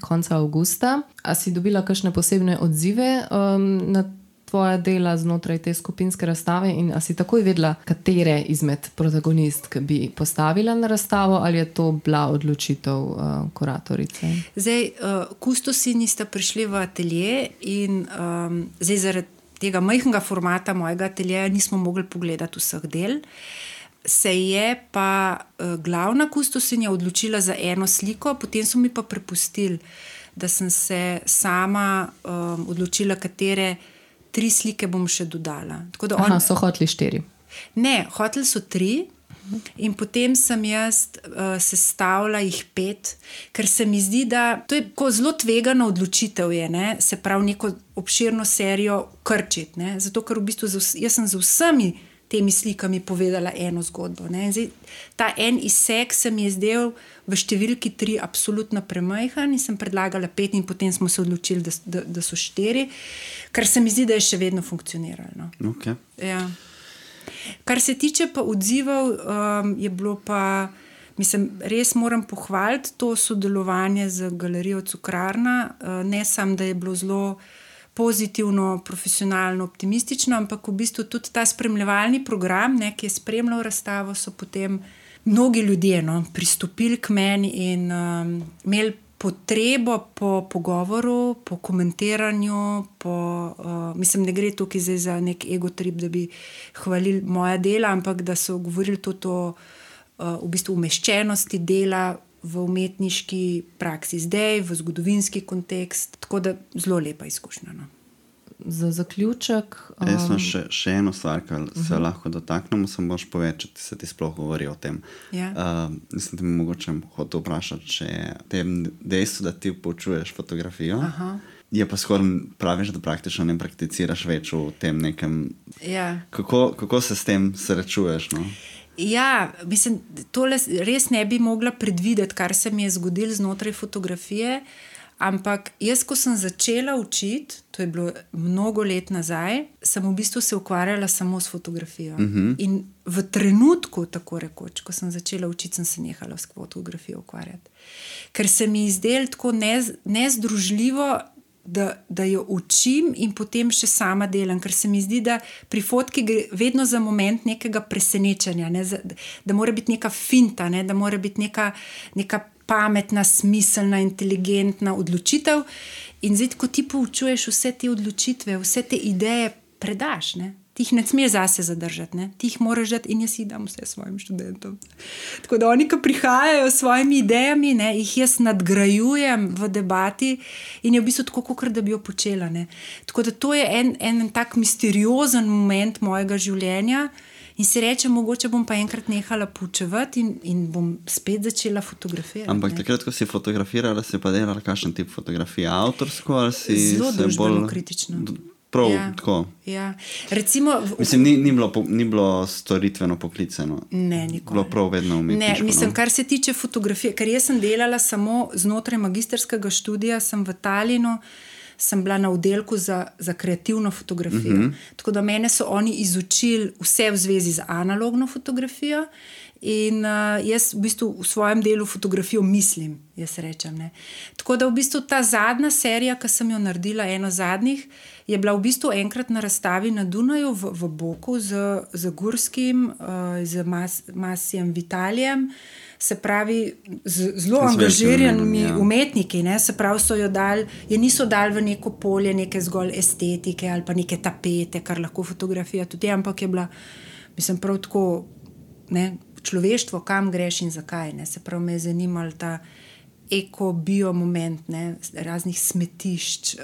konca avgusta. A si dobila kakšne posebne odzive na tvoja dela znotraj te skupinske razstave in a si takoj vedela, katere izmed protagonistk bi postavila na razstavo ali je to bila odločitev kuratorice? Zdaj, kustosi nista prišli v atelje in zdaj zaradi tega majhnega formata mojega ateljeja nismo mogli pogledati vseh del. Se je pa glavna kustosinja odločila za eno sliko, potem so mi pa prepustili, da sem se sama odločila, katere 3 slike bom še dodala. Tako da so hoteli 4? Ne, hoteli so 3 in potem sem jaz sestavila jih 5, ker se mi zdi, da to je zelo tvegana odločitev je, ne, se pravi neko obširno serijo krčiti, ne, zato ker v bistvu jaz sem z vsemi temi slikami povedala eno zgodbo. Ne. Zdaj, ta en izsek se mi je zdel v številki 3 absolutno premajhen in sem predlagala 5 in potem smo se odločili, da so 4, kar se mi zdi, da je še vedno funkcioniralo. No. Okay. Ja. Kar se tiče pa odzivov, je bilo pa, mislim, res moram pohvaliti to sodelovanje z galerijo Cukrarna, ne samo, da je bilo zelo pozitivno, profesionalno, optimistično, ampak v bistvu tudi ta spremljevalni program, ne, ki je spremljal razstavo, so potem mnogi ljudje pristopili k meni in imeli potrebo po pogovoru, po komentiranju, mislim, ne gre tukaj zdaj za nek egotrip, da bi hvalili moja dela, ampak da so govorili to v bistvu umeščenosti dela v umetniški praksi zdaj, v zgodovinski kontekst, tako da zelo lepa izkušnja. No. Za zaključek... Jaz sem še eno stvar, kar se lahko dotaknemo, sem boš povedal, če se ti sploh govori o tem. Ja. Mislim, da mi mogoče hotel vprašati, če tem dejstvu, da ti poučuješ fotografijo, je pa skoraj praviš, da praktično ne prakticiraš več v tem nekem... Ja. Kako se s tem srečuješ, no? Ja, mislim, tole res ne bi mogla predvideti, kar se mi je zgodilo znotraj fotografije, ampak jaz, ko sem začela učiti, to je bilo mnogo let nazaj, sem v bistvu se ukvarjala samo s fotografijo. In v trenutku, tako rekoč, ko sem začela učiti, sem se nehala s fotografijo ukvarjati. Ker se mi je zdelo tako nezdružljivo, da jo učim in potem še sama delam, ker se mi zdi, da pri fotki gre vedno za moment nekega presenečenja, ne, da mora biti neka finta, ne, da mora biti neka pametna, smiselna, inteligentna odločitev in zdaj, ko ti poučuješ vse te odločitve, vse te ideje predaš, ne. Ti jih ne smeš zase zadržati, ne? Ti jih moraš dati in jaz jih dam vse svojim študentom. Tako da oni, ko prihajajo s svojimi idejami, ne, jih jaz nadgrajujem v debati in je v bistvu tako, kot da bi jo počela. Ne? Tako da to je en tak misteriozen moment mojega življenja in si rečem, mogoče bom pa enkrat nehala poučevati in bom spet začela fotografirati. Ampak takrat, ko si fotografirala, si pa delala kakšen tip fotografije? Avtorsko ali si zelo se bolj... kritično. Prav, Ja. tako. Ja. Recimo, Mislim, ni bilo storitveno poklicano. ne, nikoli. Bilo prav vedno umetniško. Ne, mislim, kar se tiče fotografije, ker jaz sem delala samo znotraj magistrskega študija, sem v Talinu, sem bila na oddelku za kreativno fotografijo. Tako da mene so oni izučili vse v zvezi z analogno fotografijo in jaz v bistvu v svojem delu fotografijo mislim, jaz rečem. Ne. Tako da v bistvu ta zadnja serija, ki sem jo naredila, eno zadnjih, je bila v bistvu enkrat na razstavi na Dunaju v Boku z Gurskim, z Masijem Vitalijem, se pravi z zelo angažiranimi umetniki, ne? Se pravi so jo dali, je niso dali v neko polje neke zgolj estetike ali pa neke tapete, kar lahko fotografija tudi je, ampak je bila, mislim, prav tako, ne, človeštvo, kam greš in zakaj, ne? Se pravi me je zanimal ta eko-bio moment, ne? Raznih smetišč,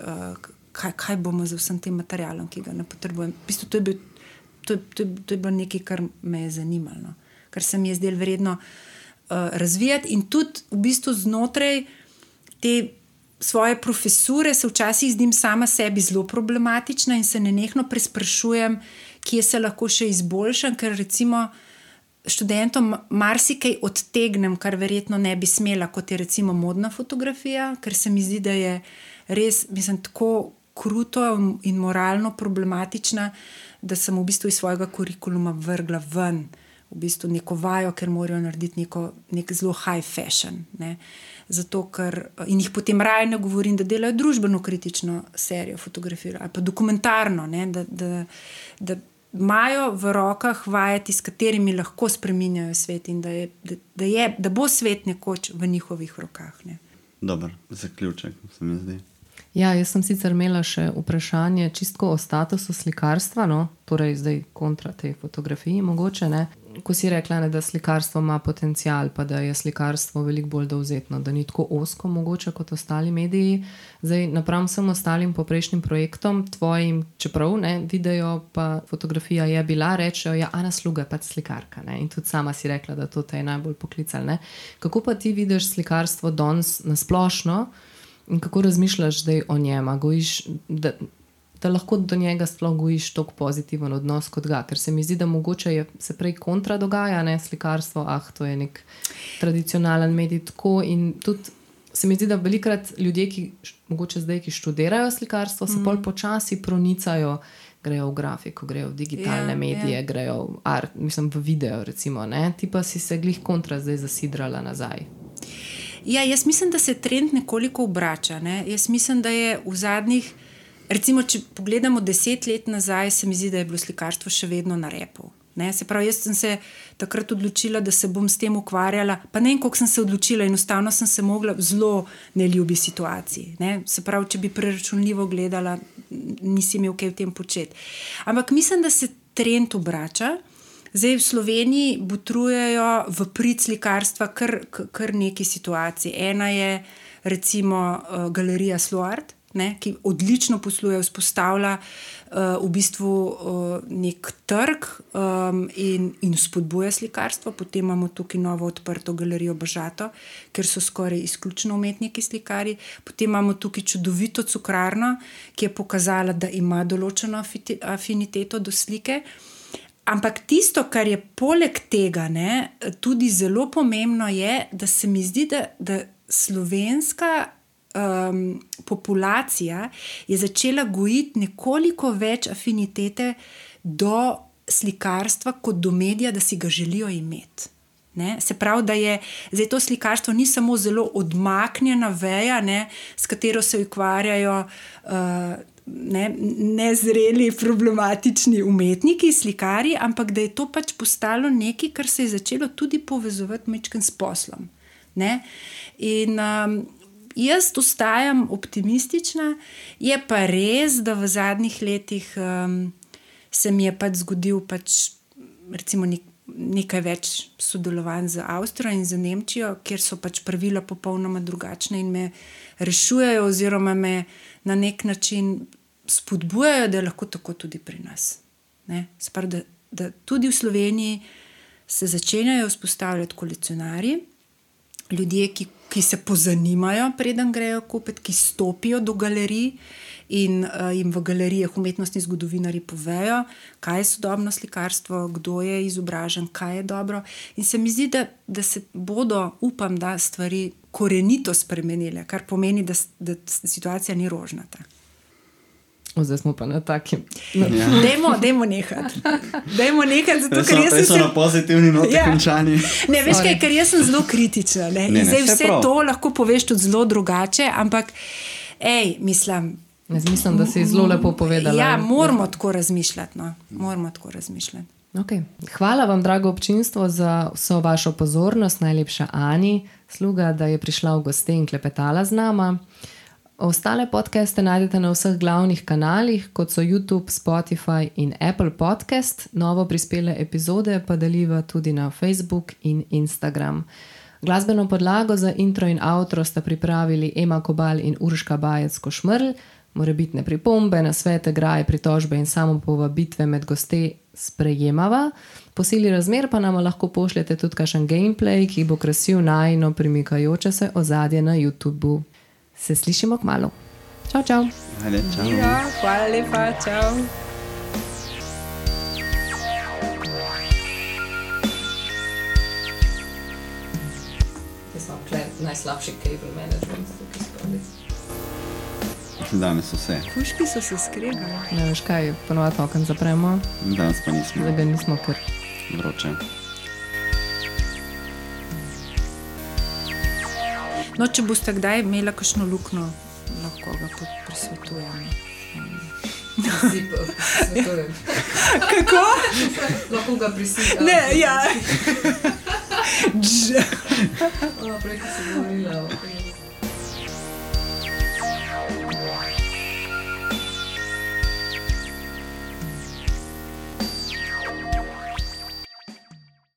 kaj bomo z vsem tem materialom, ki ga ne potrebujem. V bistvu to je bilo nekaj, kar me je zanimalo, no? Kar se mi je zdelo vredno razvijati in tudi v bistvu znotraj te svoje profesure se včasih zdim sama sebi zelo problematična in se nenehno presprašujem, kje se lahko še izboljšam, ker recimo študentom marsikaj odtegnem, kar verjetno ne bi smela, kot je recimo modna fotografija, ker se mi zdi, da je res, mislim, tako kruto in moralno problematična, da sem v bistvu iz svojega kurikuluma vrgla ven v bistvu neko vajo, ker morajo narediti nek zelo high fashion. Ne? Zato, ker, in jih potem raje ne govorim, da delajo družbeno kritično serijo fotografij ali pa dokumentarno, ne? Da imajo v rokah vajeti, s katerimi lahko spreminjajo svet in da bo svet nekoč v njihovih rokah. Ne? Dober zaključek, se mi zdi. Ja, jaz sem sicer imela še vprašanje čistko o statusu slikarstva, no, torej zdaj kontra tej fotografiji mogoče, ne. Ko si rekla, ne, da slikarstvo ima potencial, pa da je slikarstvo veliko bolj dovzetno, da ni tako ozko mogoče kot ostali mediji. Zdaj, napram vsem ostalim poprejšnjim projektom, tvojim, čeprav ne, video pa fotografija je bila, rečejo, ja, Ana Sluga je pač slikarka, ne, in tudi sama si rekla, da to te je najbolj poklicalo, ne. Kako pa ti vidiš slikarstvo danes na splošno in kako razmišljaš zdaj o njem, a gojiš, da lahko do njega sploh gojiš toliko pozitiven odnos kot ga, ker se mi zdi, da mogoče se prej kontra dogaja, ne, slikarstvo, to je nek tradicionalen medij tako in tudi se mi zdi, da velikrat ljudje, ki mogoče zdaj, ki študirajo slikarstvo, se pol počasi pronicajo, grejo v grafiko, grejo v digitalne medije, grejo v art, mislim v video recimo, ne, ti pa si se glih kontra zdaj zasidrala nazaj. Ja, jaz mislim, da se trend nekoliko obrača, ne. Jaz mislim, da je v zadnjih, recimo, če pogledamo 10 let nazaj, se mi zdi, da je bilo slikarstvo še vedno na repu. Ne? Se pravi, jaz sem se takrat odločila, da se bom s tem ukvarjala, pa ne vem, koliko sem se odločila, enostavno sem se mogla v zelo neljubi situaciji. Ne? Se pravi, če bi preračunljivo gledala, nisi imel kaj v tem početi. Ampak mislim, da se trend obrača. Zdaj v Sloveniji botrujejo v prid slikarstva kar neki situaciji. Ena je recimo galerija Sloart, ne, ki odlično posluje, vzpostavlja v bistvu nek trg in spodbuja slikarstvo. Potem imamo tukaj novo odprto galerijo Bažato, ker so skoraj izključno umetniki slikari. Potem imamo tukaj čudovito cukrarno, ki je pokazala, da ima določeno afiniteto do slike. Ampak tisto, kar je poleg tega, ne, tudi zelo pomembno je, da se mi zdi, da slovenska populacija je začela gojiti nekoliko več afinitete do slikarstva kot do medija, da si ga želijo imeti. Ne? Se pravi, da je zdaj to slikarstvo ni samo zelo odmaknjena veja, ne, s katero se ukvarjajo nezreli, problematični umetniki, slikari, ampak da je to pač postalo nekaj, kar se je začelo tudi povezovati majčkeno s poslom. Ne? In jaz ostajam optimistična, je pa res, da v zadnjih letih se mi je pač zgodil recimo nekaj več sodelovanj z Avstrijo in z Nemčijo, kjer so pač pravila popolnoma drugačne in me rešujejo oziroma me na nek način spodbujajo, da je lahko tako tudi pri nas. Ne? Se pravi, da tudi v Sloveniji se začenjajo vzpostavljati kolekcionarji, ljudje, ki se pozanimajo, preden grejo kupiti, ki stopijo do galerij in jim v galerijah umetnostni zgodovinarji povejo, kaj je sodobno slikarstvo, kdo je izobražen, kaj je dobro. In se mi zdi, da se bodo, upam, da stvari korenito spremenile, kar pomeni, da situacija ni rožnata. Zdaj smo pa na takim. Dajmo nehati. Zato, ker jaz sem na pozitivni noti končani. Ne, veš kaj, ker jaz sem zelo kritična. Zdaj vse to lahko poveš tudi zelo drugače, ampak mislim, da si zelo lepo povedala. Ja, moramo tako razmišljati. Okay. Hvala vam, drago občinstvo, za vso vašo pozornost. Najlepša Ani Sluga, da je prišla v goste in klepetala z nama. Ostale podcaste najdete na vseh glavnih kanalih, kot so YouTube, Spotify in Apple Podcast. Novo prispele epizode pa deliva tudi na Facebook in Instagram. Glasbeno podlago za intro in outro sta pripravili Ema Kobal in Urška Bajec-Košmrl. Morebitne pripombe, nasvete, graje, pritožbe in samo povabitve med goste sprejemava. Po sili razmer pa nam lahko pošljete tudi kakšen gameplay, ki bo krasil najino premikajoče se ozadje na YouTubeu. Se slišimo kmalu. Čau, čau. Ajde, čau. Ja, hvala lepa, čau. Jaz imam najslabši cable management. Danes vse. Puški so se skregali. Ne veš kaj, ponovadi okno zapremo. Danes pa nismo. Zdaj ga nismo kar vroče. No, če boste kdaj imela kakšno luknjo, lahko ga presvetujem. Svetujem. Kako? Lahko ga prisilja. Ne, ja. Prej, ko si govorila.